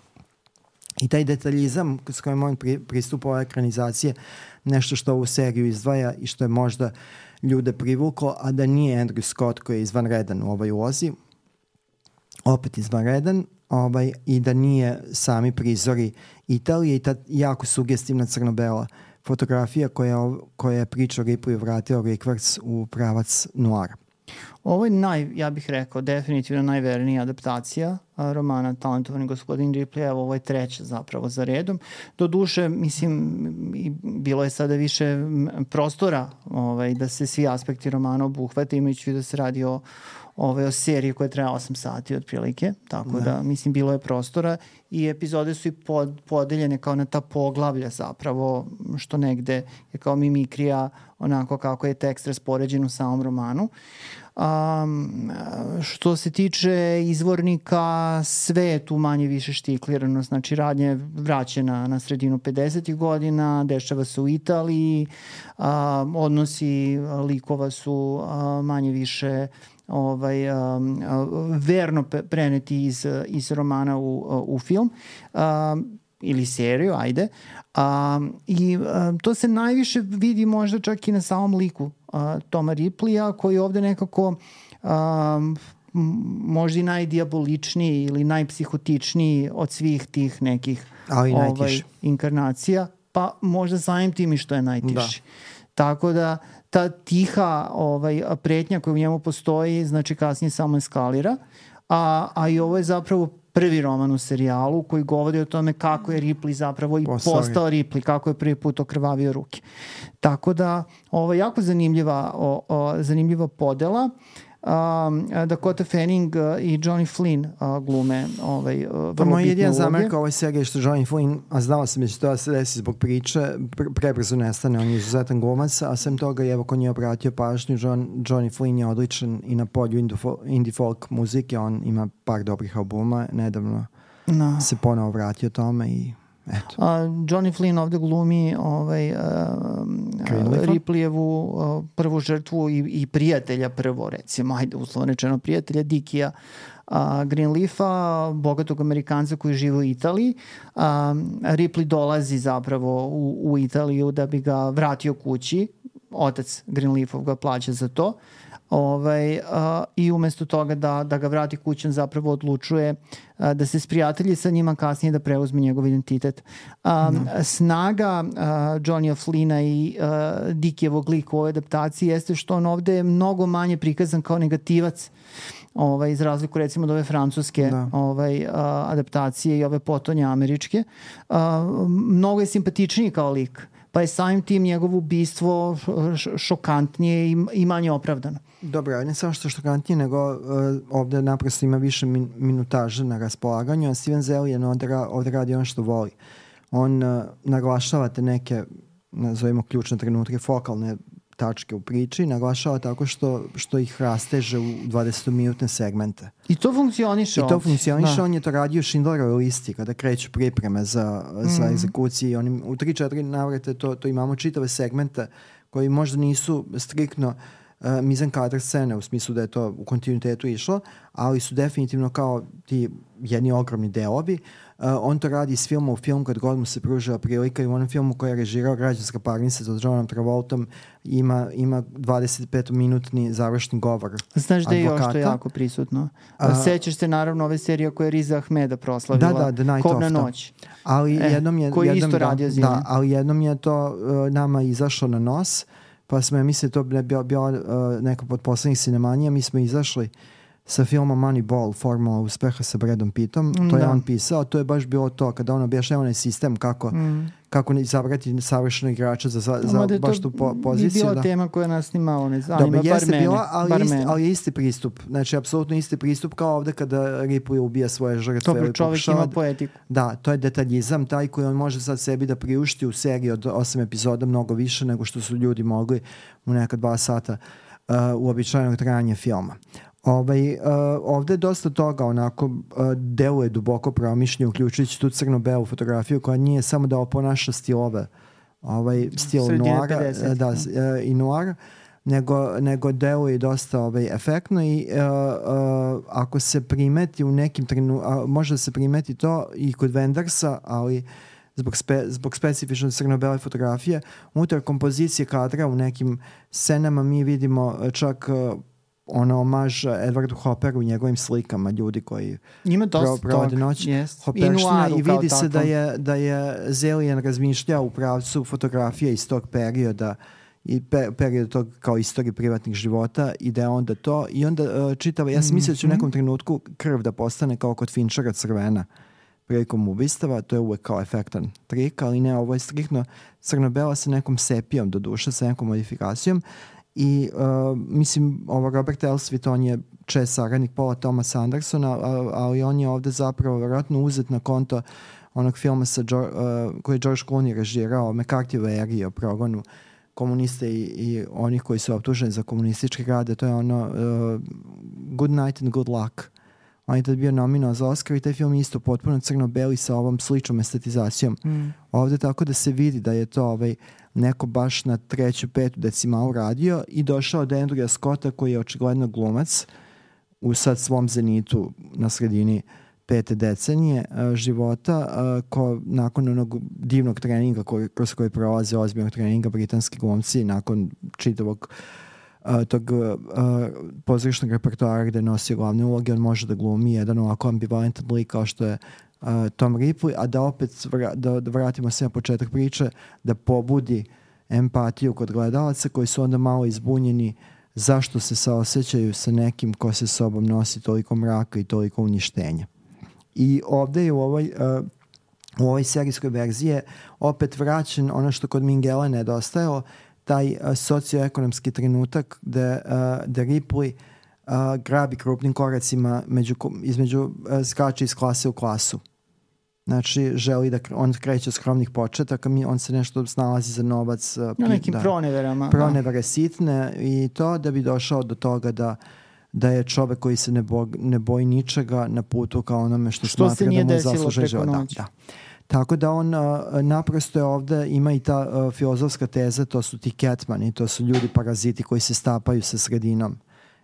Speaker 1: I taj detaljizam s kojim on pristupa ove ekranizacije, nešto što ovu seriju izdvaja i što je možda ljude privuklo, a da nije Andrew Scott koji je izvanredan u ovoj ulozi, opet izvanredan, i da nije sami prizori Italije i ta jako sugestivna crno-bela fotografija koja je priča o Ripleyu vratila Rikverc u pravac noara.
Speaker 2: Ovo je ja bih rekao, definitivno najvernija adaptacija romana Talentovani gospodin Ripley. Evo, ovo je treća zapravo za redom. Doduše, mislim, bilo je sada više prostora da se svi aspekti romana obuhvate, imajući da se radi o seriji koja traja 8 sati otprilike, tako da mislim bilo je prostora i epizode su i podeljene kao na ta poglavlja zapravo, što negde je kao mimikrija onako kako je tekst raspoređen u samom romanu. Što se tiče izvornika, sve je tu manje više štiklirano, znači radnja je vraćena na sredinu 50. godina, dešava se u Italiji, odnosi likova su manje više verno preneti iz romana u film ili seriju, ajde. I to se najviše vidi možda čak i na samom liku Toma Ripleya, koji je ovde nekako možda i najdiaboličniji ili najpsihotičniji od svih tih nekih inkarnacija, pa možda samim tim i što je najtiši. Tako da ta tiha pretnja koja u njemu postoji, znači kasnije samo eskalira, a i ovo je zapravo prvi roman u serijalu koji govori o tome kako je Ripley zapravo i postao Ripley, kako je prvi put okrvavio ruke. Tako da, jako zanimljiva podela. Dakota Fanning i Johnny Flynn glume vrlo bitne uloge.
Speaker 1: Moj jedin zamerka ovoj seriji je što Johnny Flynn, a znao sam da će to se desi zbog priče, prebrzo nestane, on je izuzetan glumac, a sem toga, evo ko nije obratio pažnju, Johnny Flynn je odličan i na polju indie folk muzike, on ima par dobrih albuma, nedavno se ponovo vratio tome i eto.
Speaker 2: Johnny Flynn ovde glumi Ripley-evu prvu žrtvu i prijatelja prvo, recimo, uslovno rečeno prijatelja Dickija Greenleafa, bogatog Amerikanca koji živi u Italiji. Ripley dolazi zapravo u Italiju da bi ga vratio kući. Otac Greenleafov ga plaća za to. I umesto toga da ga vrati kućom zapravo odlučuje da se sprijatelji sa njima, kasnije da preuzme njegov identitet. Snaga Johnnya Flynna i Dickijevog lika u ovoj adaptaciji jeste što on ovde je mnogo manje prikazan kao negativac, iz razliku recimo od ove francuske adaptacije i ove potonje američke. Mnogo je simpatičniji kao lik, pa je samim tim njegovo ubistvo šokantnije i manje opravdano.
Speaker 1: Dobro, ne samo što je šokantnije, nego ovde naprosto ima više minutaže na raspolaganju, a Steven Zaillian ovde radi ono što voli. On naglašava te neke, nazovimo ključne trenutke, fokalne tačke u priči, naglašava tako što ih rasteže u 20-minutne segmente.
Speaker 2: I to funkcioniše ovdje.
Speaker 1: On je to radio u Schindlerovoj listi, kada kreću pripreme za egzekuciji. U 3-4 navrate to imamo čitave segmente koji možda nisu striktno mizan kadar scene, u smislu da je to u kontinuitetu išlo, ali su definitivno kao ti jedni ogromni delovi. On to radi s filma u film kad god mu se pružila prilika, i u onom filmu koji je režirao Građanska parnica sa Johnom Travoltom ima 25-minutni završni govor advokata.
Speaker 2: Znaš da je još to jako prisutno. Sećaš se naravno ove serije koje je Riza Ahmeda proslavila, Kobna noć.
Speaker 1: Ali
Speaker 2: koji isto radio Zilin.
Speaker 1: Ali jednom je to nama izašlo na nos, pa smo, ja mislim, to bila neka od poslednjih sinemanija, mi smo izašli sa filmom Moneyball, Formula uspeha sa Bradom Pittom, to je on pisao, to je baš bilo to, kada on objašnjava onaj sistem kako izabrati savršenog igrača za baš tu poziciju.
Speaker 2: Bi bila tema koja nas nimalo ne zanima,
Speaker 1: ali je isti pristup, znači apsolutno isti pristup kao ovde kada Ripley ubija svoje žrtve.
Speaker 2: Dobro, čovjek ima poetiku.
Speaker 1: Da, to je detaljizam, taj koji on može sad sebi da priušti u seriji od 8 epizoda mnogo više nego što su ljudi mogli u neka 2 sata uobičajenog trajanja filma. Ovde je dosta toga onako deluje duboko promišljenje, uključujući tu crno-belu fotografiju koja nije samo da oponaša stilove, stil noara i noara, nego deluje dosta efektno i ako se primeti u nekim može da se primeti to i kod Wendersa, ali zbog specifične crno-bele fotografije, unutar kompozicije kadra u nekim scenama mi vidimo čak omaž Edwardu Hopperu u njegovim slikama, ljudi koji provode noć Hopperština, i vidi se da je Zaillian razmišljao u pravcu fotografije iz tog perioda i period tog kao istorije privatnih života, i da je onda to i onda čitava, ja sam mislio da će u nekom trenutku krv da postane kao kod Finchera crvena prilikom ubistava, to je uvek kao efektan trik, ali ne, ovo je striktno crno-bela sa nekom sepijom do duše, sa nekom modifikacijom. I mislim, Robert Elswit, on je čest saradnik Paula Thomasa Andersona, ali on je ovde zapravo vjerojatno uzet na konto onog filma koji je George Clooney režirao, McCarthy Larry, o progonu komunista i onih koji su optuženi za komunističke rade. To je ono Good Night and Good Luck. On je tad bio nominovao za Oscar i taj film je isto potpuno crno-beli sa ovom sličnom estetizacijom. Ovde tako da se vidi da je to neko baš na 3. 5. decimalu radio i došao do Andrewa Scotta koji je očigledno glumac u sad svom zenitu na sredini 5. decenije života, ko nakon onog divnog treninga kroz koji prolaze, ozbiljnog treninga britanski glumci, nakon čitavog tog pozorišnog repertoara gde nosi glavne uloge, on može da glumi jedan ovako ambivalentan lik kao što je Tom Ripley, a da opet da vratimo se na početak priče, da pobudi empatiju kod gledalaca koji su onda malo izbunjeni zašto se saosećaju sa nekim ko se sobom nosi toliko mraka i toliko uništenja. I ovde je u ovoj serijskoj verziji je opet vraćen ono što kod Mingela nedostajalo, taj socioekonomski trenutak da Ripley grabi krupnim koracima između skače iz klase u klasu. Znači, želi da on kreće od skromnih početaka, on se nešto snalazi za novac.
Speaker 2: Na nekim proneverama.
Speaker 1: Pronevere sitne i to da bi došao do toga da je čovek koji se ne boji ničega na putu kao onome što smatra da mu zasluže život. Da. Tako da on naprosto je ovde, ima i ta filozofska teza, to su ti Catmani, to su ljudi paraziti koji se stapaju sa sredinom.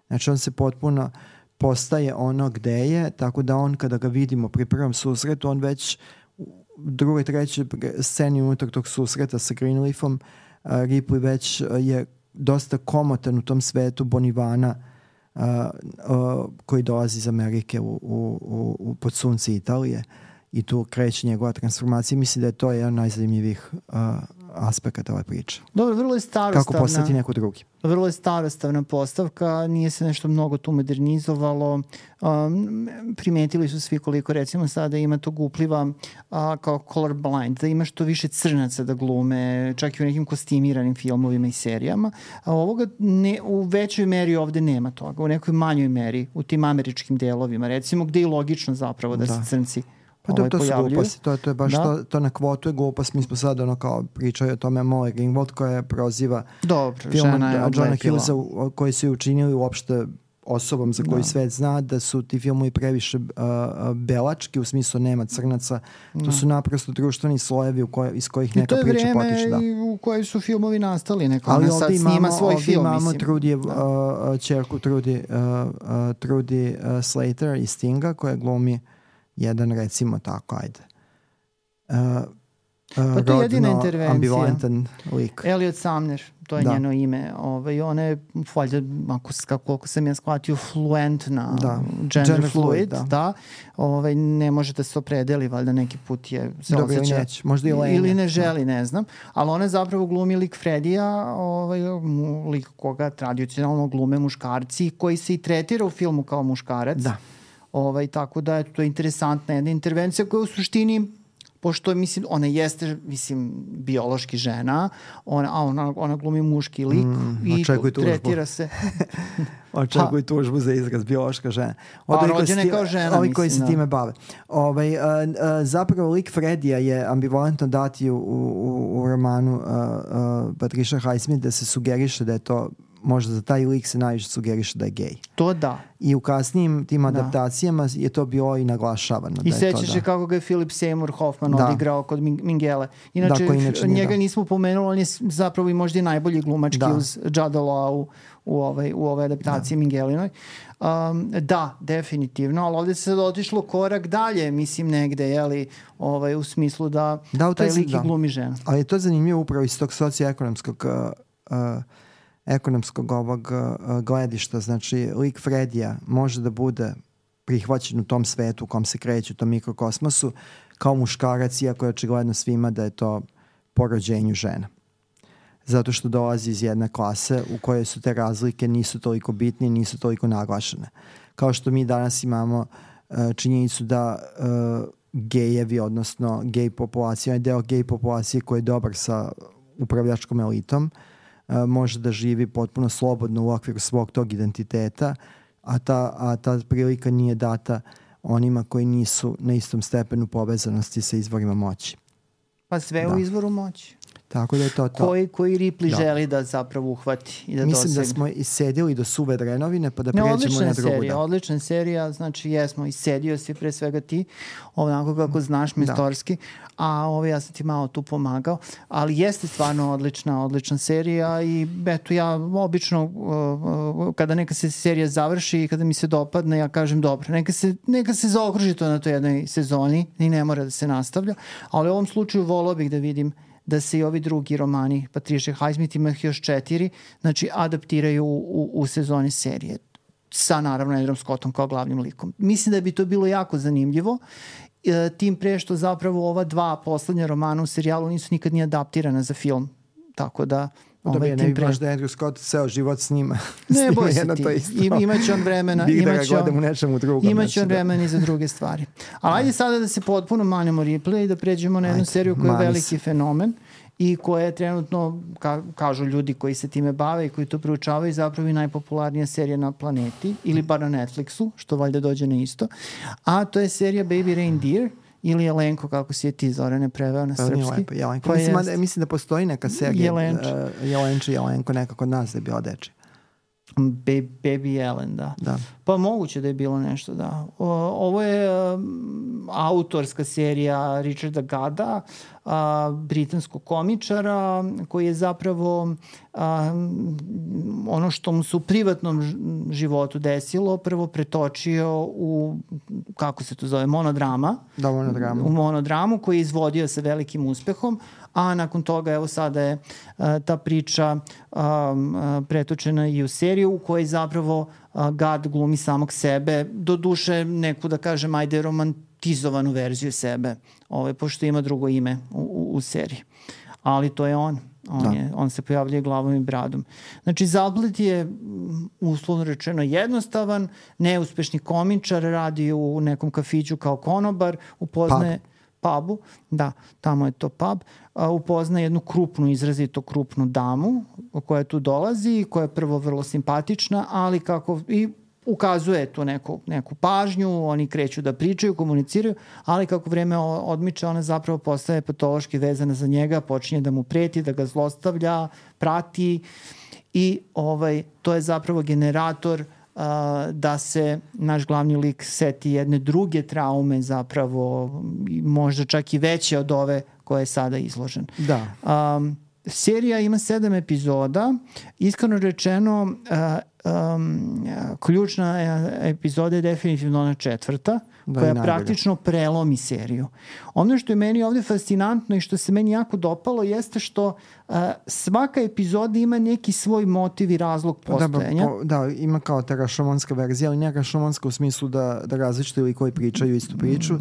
Speaker 1: Znači on se potpuno postaje ono gde je, tako da on kada ga vidimo pri prvom susretu, on već u drugoj, trećoj sceni unutar tog susreta sa Greenleafom, Ripley već je dosta komotan u tom svetu Bonivana koji dolazi iz Amerike pod sunce Italije i tu kreće njegova transformacija. Mislim da je to jedan najzanimljivih aspekata ove priče.
Speaker 2: Dobro, vrlo je starostavna.
Speaker 1: Kako postati neko drugi.
Speaker 2: Vrlo je starostavna postavka, nije se nešto mnogo tu modernizovalo. Primetili su svi koliko recimo sada ima tog upliva kao colorblind, da ima što više crnaca da glume, čak i u nekim kostimiranim filmovima i serijama. A ovoga u većoj meri ovde nema toga, u nekoj manjoj meri, u tim američkim delovima, recimo gde je logično zapravo da se crnci
Speaker 1: to su gluposti, to je baš to na kvotu je glupost. Mi smo sad kao pričali o tome Molly Ringwald koja proziva film Johna Hughesa koji su učinili uopšte osobom za koju svet zna da su ti filmovi previše belački, u smislu nema crnaca. To su naprosto društveni slojevi iz kojih neka priča potiče.
Speaker 2: I to je vreme u kojoj su filmovi nastali. Neko ali sad snima svoj film.
Speaker 1: Ali ovdje imamo čerku Trudy Slater iz Stinga koja glumi jedan, recimo tako, ajde.
Speaker 2: Pa to je jedina intervencija.
Speaker 1: Ambivalentan lik.
Speaker 2: Elliot Sumner, to je njeno ime. Ona je, valjda, koliko sam ja shvatio, fluentna, gender fluid, da. Ne može da se opredeli, valjda neki put je se osjeća.
Speaker 1: Možda i lenja.
Speaker 2: Ili ne želi, ne znam. Ali ona zapravo glumi lik Fredija, lik koga tradicionalno glume muškarci, koji se i tretira u filmu kao muškarac.
Speaker 1: Da.
Speaker 2: Tako da je to interesantna jedna intervencija koja u suštini, pošto ona jeste biološki žena, ona glumi muški lik i tretira se.
Speaker 1: Očekuj tužbu za izraz biološka žena.
Speaker 2: A rođena je kao žena,
Speaker 1: ovi koji se time bave. Zapravo lik Fredija je ambivalentno dati u romanu Patricia Highsmith da se sugeriše da je to, možda za taj lik se najviše sugeriše da je gej.
Speaker 2: To da.
Speaker 1: I u kasnijim tim adaptacijama je to bilo i naglašavano.
Speaker 2: I sećaš se kako ga je Philip Seymour Hoffman odigrao kod Mingele. Inače, njega nismo pomenuli, on je zapravo i možda i najbolji glumački uz Jude Law u ovoj adaptaciji Mingelinoj. Da, definitivno, ali ovdje se sad otišlo korak dalje, mislim negde, u smislu da taj lik i glumi žena.
Speaker 1: Ali je to zanimljivo upravo iz tog socioekonomskog ovog gledišta. Znači, lik Fredija može da bude prihvaćen u tom svetu u kom se kreće, u tom mikrokosmosu, kao muškarac, iako je očigledno svima da je to po rođenju žena. Zato što dolazi iz jedne klase u kojoj su te razlike nisu toliko bitne i nisu toliko naglašene. Kao što mi danas imamo činjenicu da gejevi, odnosno gej populacija, je deo gej populacije koji je dobar sa upravljačkom elitom, može da živi potpuno slobodno u okviru svog tog identiteta, a ta prilika nije data onima koji nisu na istom stepenu povezanosti sa izvorima moći.
Speaker 2: Pa sve u izvoru moći.
Speaker 1: Tako da je to.
Speaker 2: Koji Ripley želi da zapravo uhvati i da dosegne. Mislim
Speaker 1: da smo issedili do suve drenovine pa da pređemo na drugu.
Speaker 2: Odlična serija, znači jesmo, issedio si pre svega ti, onako kako znaš mestorski, a ja sam ti malo tu pomagao, ali jeste stvarno odlična serija i eto ja obično kada neka se serija završi i kada mi se dopadne, ja kažem dobro, neka se zaokruži to na toj jednoj sezoni i ne mora da se nastavlja, ali u ovom slučaju volao bih da vidim da se i ovi drugi romani Patricia Highsmith, ima ih još 4, znači adaptiraju u sezoni serije sa naravno Andrewom Scottom kao glavnim likom. Mislim da bi to bilo jako zanimljivo, tim pre što zapravo ova 2 poslednja romana u serijalu nisu nikad ni adaptirana za film, tako da
Speaker 1: Dobije, ne bi baš da Andrew Scott ceo život snima.
Speaker 2: Ne boj se ti, imaće on vremena. Imaće on vremena i za druge stvari. Ali ajde sada da se potpuno manemo Ripley i da pređemo na jednu seriju koja je veliki fenomen i koja je trenutno, kažu ljudi koji se time bave i koji to proučavaju, zapravo i najpopularnija serija na planeti, ili bar na Netflixu, što valjda dođe na isto. A to je serija Baby Reindeer, ili Jelenko, kako si je ti, Zorane, preveo na srpski.
Speaker 1: Jelenko. Mislim da postoji neka serija Jelenče, Jelenko, neka kod nas da je bila deči.
Speaker 2: Baby Jelen, da. Pa moguće da je bilo nešto, da. Ovo je autorska serija Richarda Gadda, britanskog komičara, koji je zapravo ono što mu se u privatnom životu desilo prvo pretočio u, kako se to zove, monodrama.
Speaker 1: Da, monodramu.
Speaker 2: U monodramu koji je izvodio sa velikim uspehom, a nakon toga evo sada je ta priča pretočena i u seriju u kojoj zapravo Gad glumi samog sebe, do duše neku, da kažem, ajde romantizovanu verziju sebe, pošto ima drugo ime u seriji. Ali to je on. On se pojavljuje glavom i bradom. Znači, zaplet je uslovno rečeno jednostavan, neuspešni komičar, radi u nekom kafiću kao konobar, upoznaje pubu, da, tamo je to pub, upozna jednu izrazito krupnu damu koja tu dolazi, koja je prvo vrlo simpatična, ali kako i ukazuje tu neku pažnju, oni kreću da pričaju, komuniciraju, ali kako vreme odmiče, ona zapravo postaje patološki vezana za njega, počinje da mu preti, da ga zlostavlja, prati i to je zapravo generator da se naš glavni lik seti jedne druge traume, zapravo možda čak i veće od ove koje je sada izložen.
Speaker 1: Da.
Speaker 2: Serija ima 7 epizoda. Iskreno rečeno, ključna epizoda je definitivno ona 4. koja praktično prelomi seriju. Ono što je meni ovde fascinantno i što se meni jako dopalo jeste što svaka epizoda ima neki svoj motiv i razlog postojanja.
Speaker 1: Da, ima kao ta rašomonska verzija, ali ne rašomonska u smislu da različite ili koji pričaju istu priču,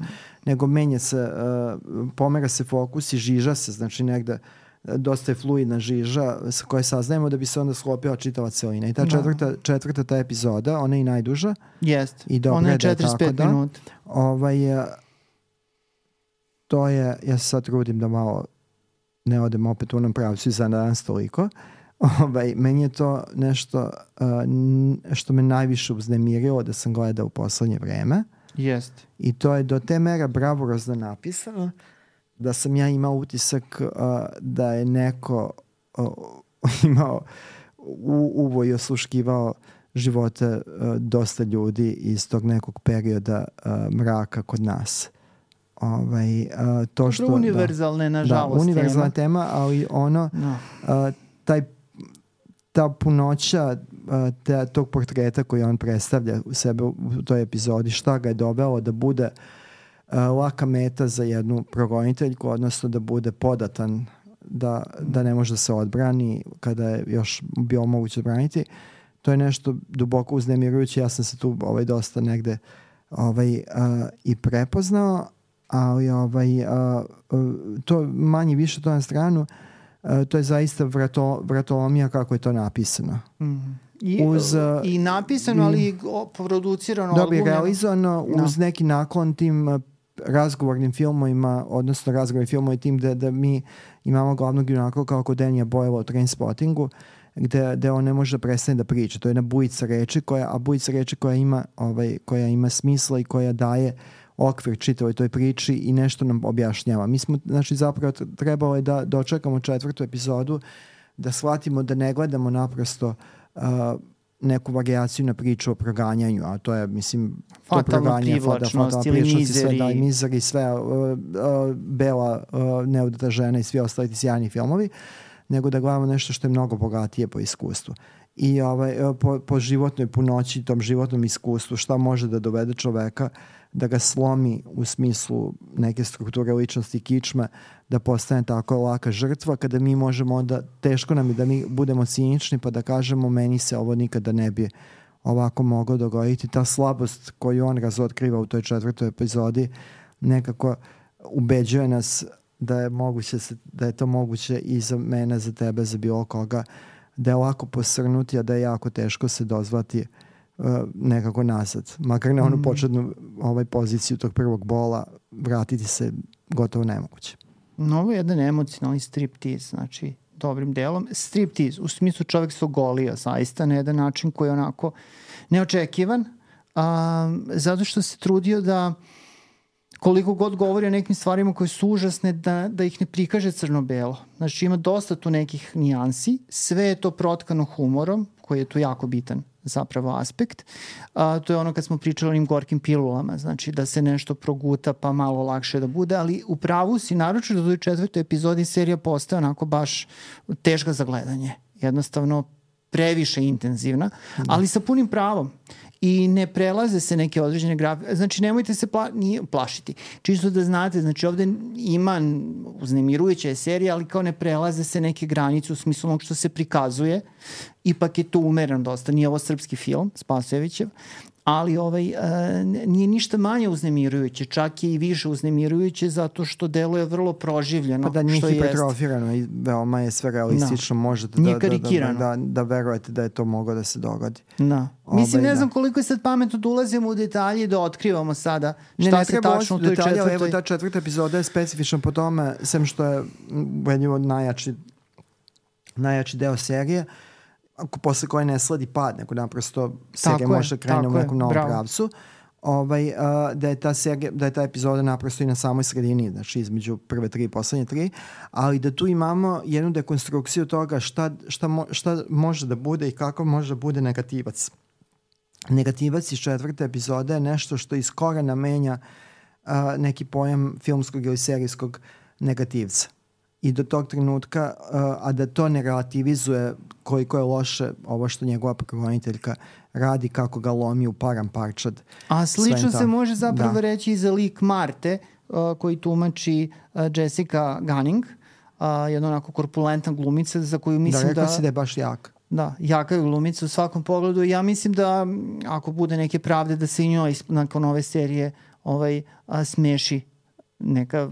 Speaker 1: nego menja se, pomera se fokus i žiža se, znači negde dosta je fluidna žiža sa koje saznajemo da bi se onda sklopila čitava celina. I ta četvrta ta epizoda, ona je i najduža.
Speaker 2: Jest, ona je 45 minuta.
Speaker 1: To je, ja se sad trudim da malo ne odem opet u onom pravcu i za danas toliko. Meni je to nešto što me najviše uznemirilo da sam gledao u poslednje vreme.
Speaker 2: Jest.
Speaker 1: I to je do te mera bravurozno napisano da sam ja imao utisak da je neko imao uvo i osluškivao živote dosta ljudi iz tog nekog perioda mraka kod nas. To što,
Speaker 2: univerzalne, nažalost.
Speaker 1: Da, univerzalna tema, ali ta punoća tog portreta koji on predstavlja u sebe u toj epizodi, šta ga je dovelo da bude laka meta za jednu progoniteljku, odnosno da bude podatan, da ne može da se odbrani kada je još bilo moguće odbraniti. To je nešto duboko uznemirujuće. Ja sam se tu dosta negde i prepoznao, ali to manje više to na stranu, to je zaista vratolomija kako je to napisano.
Speaker 2: I napisano, ali i producirano.
Speaker 1: Dobro, realizovano uz neki naklon tim razgovornim filmovima, odnosno razgovornim filmovima tim da mi imamo glavnog junaka kao kod Danija Boyla u Trainspottingu, gde on ne može da prestane da priča. To je jedna bujica reči, koja ima smisla i koja daje okvir čitavoj toj priči i nešto nam objašnjava. Mi smo, znači, zapravo trebalo je da dočekamo 4. epizodu, da shvatimo da ne gledamo naprosto neku varijaciju na priču o proganjanju, a to je, mislim,
Speaker 2: fatalna privlačnost ili mizeri.
Speaker 1: Mizeri, sve bela neudata žena i svi ostali sjajni filmovi, nego da gledamo nešto što je mnogo bogatije po iskustvu. I po životnoj punoći, tom životnom iskustvu, šta može da dovede čoveka da ga slomi u smislu neke strukture ličnosti kičme, da postane tako laka žrtva, kada mi možemo onda, teško nam je da mi budemo cinični pa da kažemo meni se ovo nikada ne bi ovako moglo dogoditi. Ta slabost koju on razotkriva u toj 4. epizodi nekako ubeđuje nas da je to moguće i za mene, za tebe, za bilo koga, da je lako posrnuti, a da je jako teško se dozvati nekako nazad. Makar na onu početnu poziciju tog prvog bola vratiti se gotovo nemoguće.
Speaker 2: Ovo je jedan emocionalni striptease, znači dobrim delom. Striptease, u smislu čovjek se ogolio zaista na jedan način koji je onako neočekivan, zato što se trudio da koliko god govori o nekim stvarima koje su užasne, da ih ne prikaže crno-belo. Znači ima dosta tu nekih nijansi, sve je to protkano humorom, koji je tu jako bitan zapravo aspekt. To je ono kad smo pričali o onim gorkim pilulama, znači da se nešto proguta pa malo lakše da bude, ali u pravu si, naročito do 4. epizodi serija postaje onako baš teška za gledanje. Jednostavno previše intenzivna, ali sa punim pravom. I ne prelaze se neke određene grafike. Znači, nemojte se plašiti. Čisto da znate, znači ovde ima uznemirujuća je serija, ali kao ne prelaze se neke granice u smislu onog što se prikazuje. Ipak je to umereno dosta. Nije ovo srpski film, Spasojevićev, ali nije ništa manje uznemirujuće, čak je i više uznemirujuće zato što deluje vrlo proživljeno.
Speaker 1: Pa da nije hipertrofirano i veoma je sve realistično, možete da verujete da je to moglo da se dogodi.
Speaker 2: Da. Mislim, ne znam koliko je sad pametno da ulazimo u detalje i da otkrivamo sada šta se tačno u toj četvrtoj...
Speaker 1: Evo, ta 4. epizoda je specifična po tome, sem što je jedno najjači deo serije, posle koje ne sledi pad, nego naprosto serija može krenuti u nekom novom pravcu, da je ta epizoda naprosto i na samoj sredini, znači između prve 3 i poslednje 3, ali da tu imamo jednu dekonstrukciju toga šta može da bude i kako može da bude negativac. Negativac iz 4. epizode je nešto što iz korena menja neki pojam filmskog ili serijskog negativca. I do tog trenutka, a da to ne relativizuje koliko je loše ovo što njegova progoniteljka radi, kako ga lomi u param parčad.
Speaker 2: A slično se može zapravo reći i za lik Marte, koji tumači Jessica Gunning, jedna onako korpulentna glumica za koju mislim da...
Speaker 1: Da, rekao si da je baš jaka.
Speaker 2: Da, jaka je glumica u svakom pogledu. Ja mislim da ako bude neke pravde da se i njoj nakon ove serije smeši neka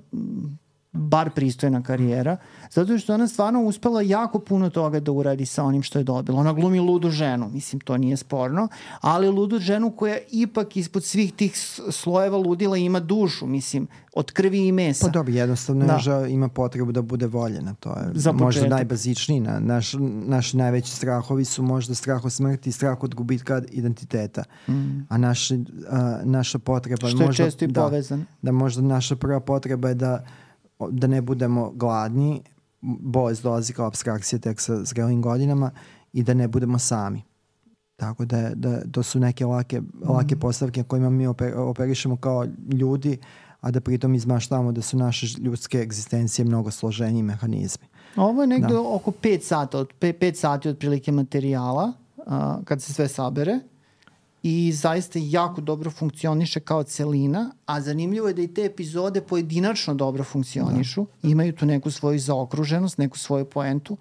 Speaker 2: bar pristojna karijera, zato što ona stvarno uspela jako puno toga da uradi sa onim što je dobila. Ona glumi ludu ženu, mislim, to nije sporno, ali ludu ženu koja ipak ispod svih tih slojeva ludila ima dušu, mislim, od krvi i mesa.
Speaker 1: Pa dobro, jednostavno ima potrebu da bude voljena, to je možda najbazičniji. Naši najveći strahovi su možda strah od smrti i strah od gubitka identiteta. A naša potreba...
Speaker 2: Što je često i povezan.
Speaker 1: Da možda naša prva potreba je da ne budemo gladni, bolest dolazi kao apstrakcija tek sa zrelim godinama, i da ne budemo sami. Tako da to su neke lake postavke kojima mi operišemo kao ljudi, a da pritom izmaštavamo da su naše ljudske egzistencije mnogo složeniji mehanizmi.
Speaker 2: Ovo je negde oko 5 sata, 5 sati otprilike materijala, kad se sve sabere, i zaista jako dobro funkcioniše kao celina, a zanimljivo je da i te epizode pojedinačno dobro funkcionišu, imaju tu neku svoju zaokruženost, neku svoju poentu.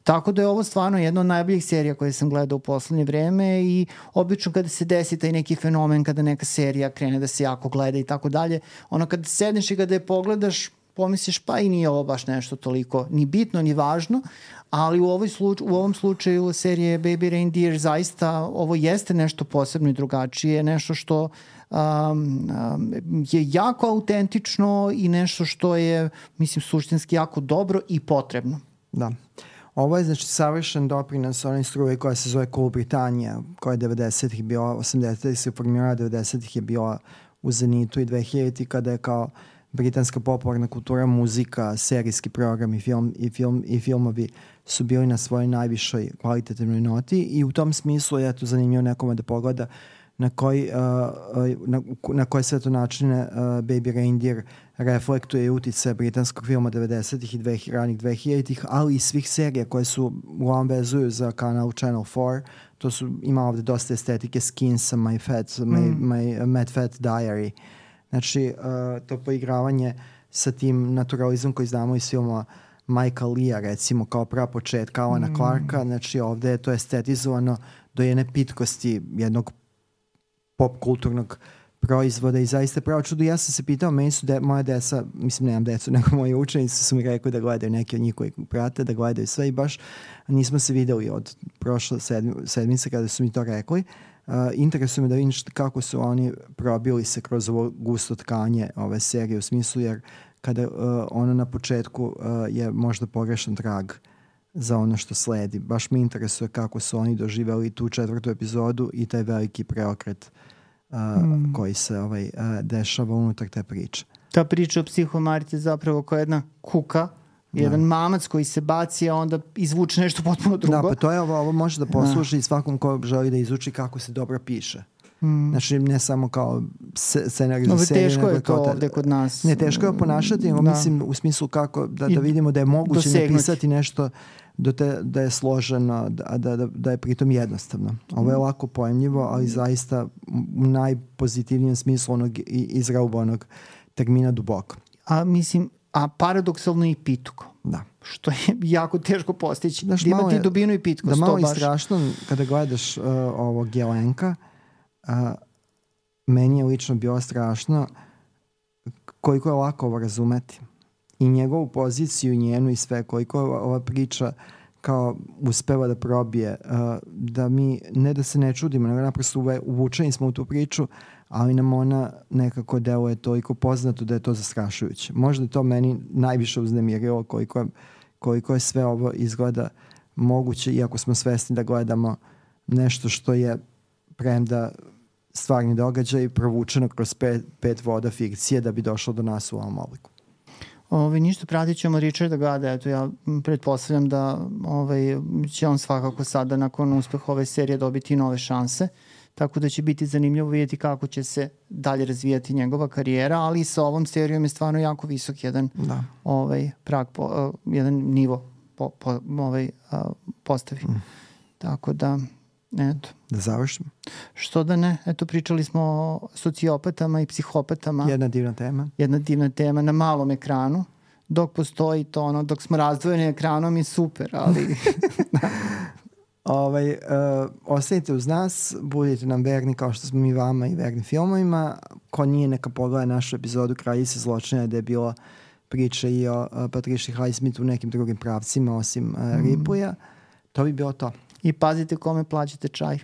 Speaker 2: Tako da je ovo stvarno jedna od najboljih serija koje sam gledao u poslednje vreme, i obično kada se desi taj neki fenomen, kada neka serija krene da se jako gleda i tako dalje, ono kada sedneš i kada je pogledaš, pomisliš pa i nije ovo baš nešto toliko ni bitno ni važno, ali u ovom slučaju serije Baby Reindeer zaista ovo jeste nešto posebno i drugačije, nešto što je jako autentično i nešto što je, mislim, suštinski jako dobro i potrebno.
Speaker 1: Da. Ovo je, znači, savršen doprinos onoj struji koja se zove Cool Britannia, koja je 90-ih bila, 80-ih se formirala, 90-ih je bila u zenitu i 2000-ih kada je kao britanska popularna kultura, muzika, serijski program i filmovi su bili na svojoj najvišoj kvalitativnoj noti, i u tom smislu je to zanimljivo nekome da pogleda na koje sve to načine Baby Reindeer reflektuje utice britanskog filma 90-ih i ranih 2000-ih, ali i svih serija koje su uglavnom vezuju za kanal Channel 4. To su, ima ovde dosta estetike Skinsa, My Mad Fat Diary. Znači, to poigravanje sa tim naturalizmom koji znamo iz filma Mike'a Lea, recimo, kao prapočetka Alana Clarka, znači ovde je to estetizovano do jedne pitkosti jednog pop kulturnog proizvoda i zaista pravo čudo. Ja sam se pitao, meni su moja deca, mislim nemam decu, nego moji učenici su mi rekli da gledaju neki od njih koji prate, da gledaju sve i baš nismo se videli od prošle sedmice kada su mi to rekli. Interesuje me da vidim kako su oni probili se kroz ovo gusto tkanje ove serije u smislu jer kada ono na početku je možda pogrešan trag za ono što sledi. Baš me interesuje kako su oni doživeli tu 4. epizodu i taj veliki preokret koji se dešava unutar te priče.
Speaker 2: Ta priča o psihomariti je zapravo kao jedna kuka, jedan mamac koji se baci, a onda izvuče nešto potpuno drugo.
Speaker 1: Da, pa to je ovo može da posluži i svakom ko želi da izuči kako se dobro piše. Znači ne samo kao scenarij za seriju.
Speaker 2: Teško je to ovde kod nas.
Speaker 1: Ne, teško je ponašati, mislim u smislu kako da vidimo da je moguće napisati nešto da je složeno, da je pritom jednostavno. Ovo je lako pojemljivo, ali zaista u najpozitivnijem smislu onog izraubanog termina duboko.
Speaker 2: A paradoksalno i pitko.
Speaker 1: Da.
Speaker 2: Što je jako teško postići. Da imati dubinu i pitko.
Speaker 1: Da malo je strašno kada gledaš ovog Jelenka, meni je lično bilo strašno koliko je lako ovo razumeti. I njegovu poziciju, njenu i sve, koliko je ova priča kao uspeva da probije, da mi, ne da se ne čudimo, nego naprosto uvučeni smo u tu priču, ali nam ona nekako deluje toliko poznato da je to zastrašujuće. Možda je to meni najviše uznemirilo koliko je sve ovo izgleda moguće, iako smo svesni da gledamo nešto što je premda stvarni događaj provučeno kroz pet voda fikcije da bi došlo do nas u ovom obliku.
Speaker 2: Ništa, pratit ćemo Richarda Gada, eto ja pretpostavljam da će on svakako sada nakon uspeha ove serije dobiti nove šanse, tako da će biti zanimljivo vidjeti kako će se dalje razvijati njegova karijera, ali i sa ovom serijom je stvarno jako visok jedan prag, jedan nivo postavi. Tako da, eto.
Speaker 1: Da završimo.
Speaker 2: Što da ne, eto pričali smo o sociopatama i psihopatama.
Speaker 1: Jedna divna tema.
Speaker 2: Jedna divna tema na malom ekranu. Dok postoji to, dok smo razdvojeni ekranom je super, ali...
Speaker 1: Ostanite uz nas, budite nam verni kao što smo mi vama i verni filmovima. Ko nije, neka pogleda našu epizodu Kraljice zločina gde je bila priča i o Patricia Highsmithu u nekim drugim pravcima osim Ripleyja. To bi bilo to.
Speaker 2: I pazite kome plaćate čaj.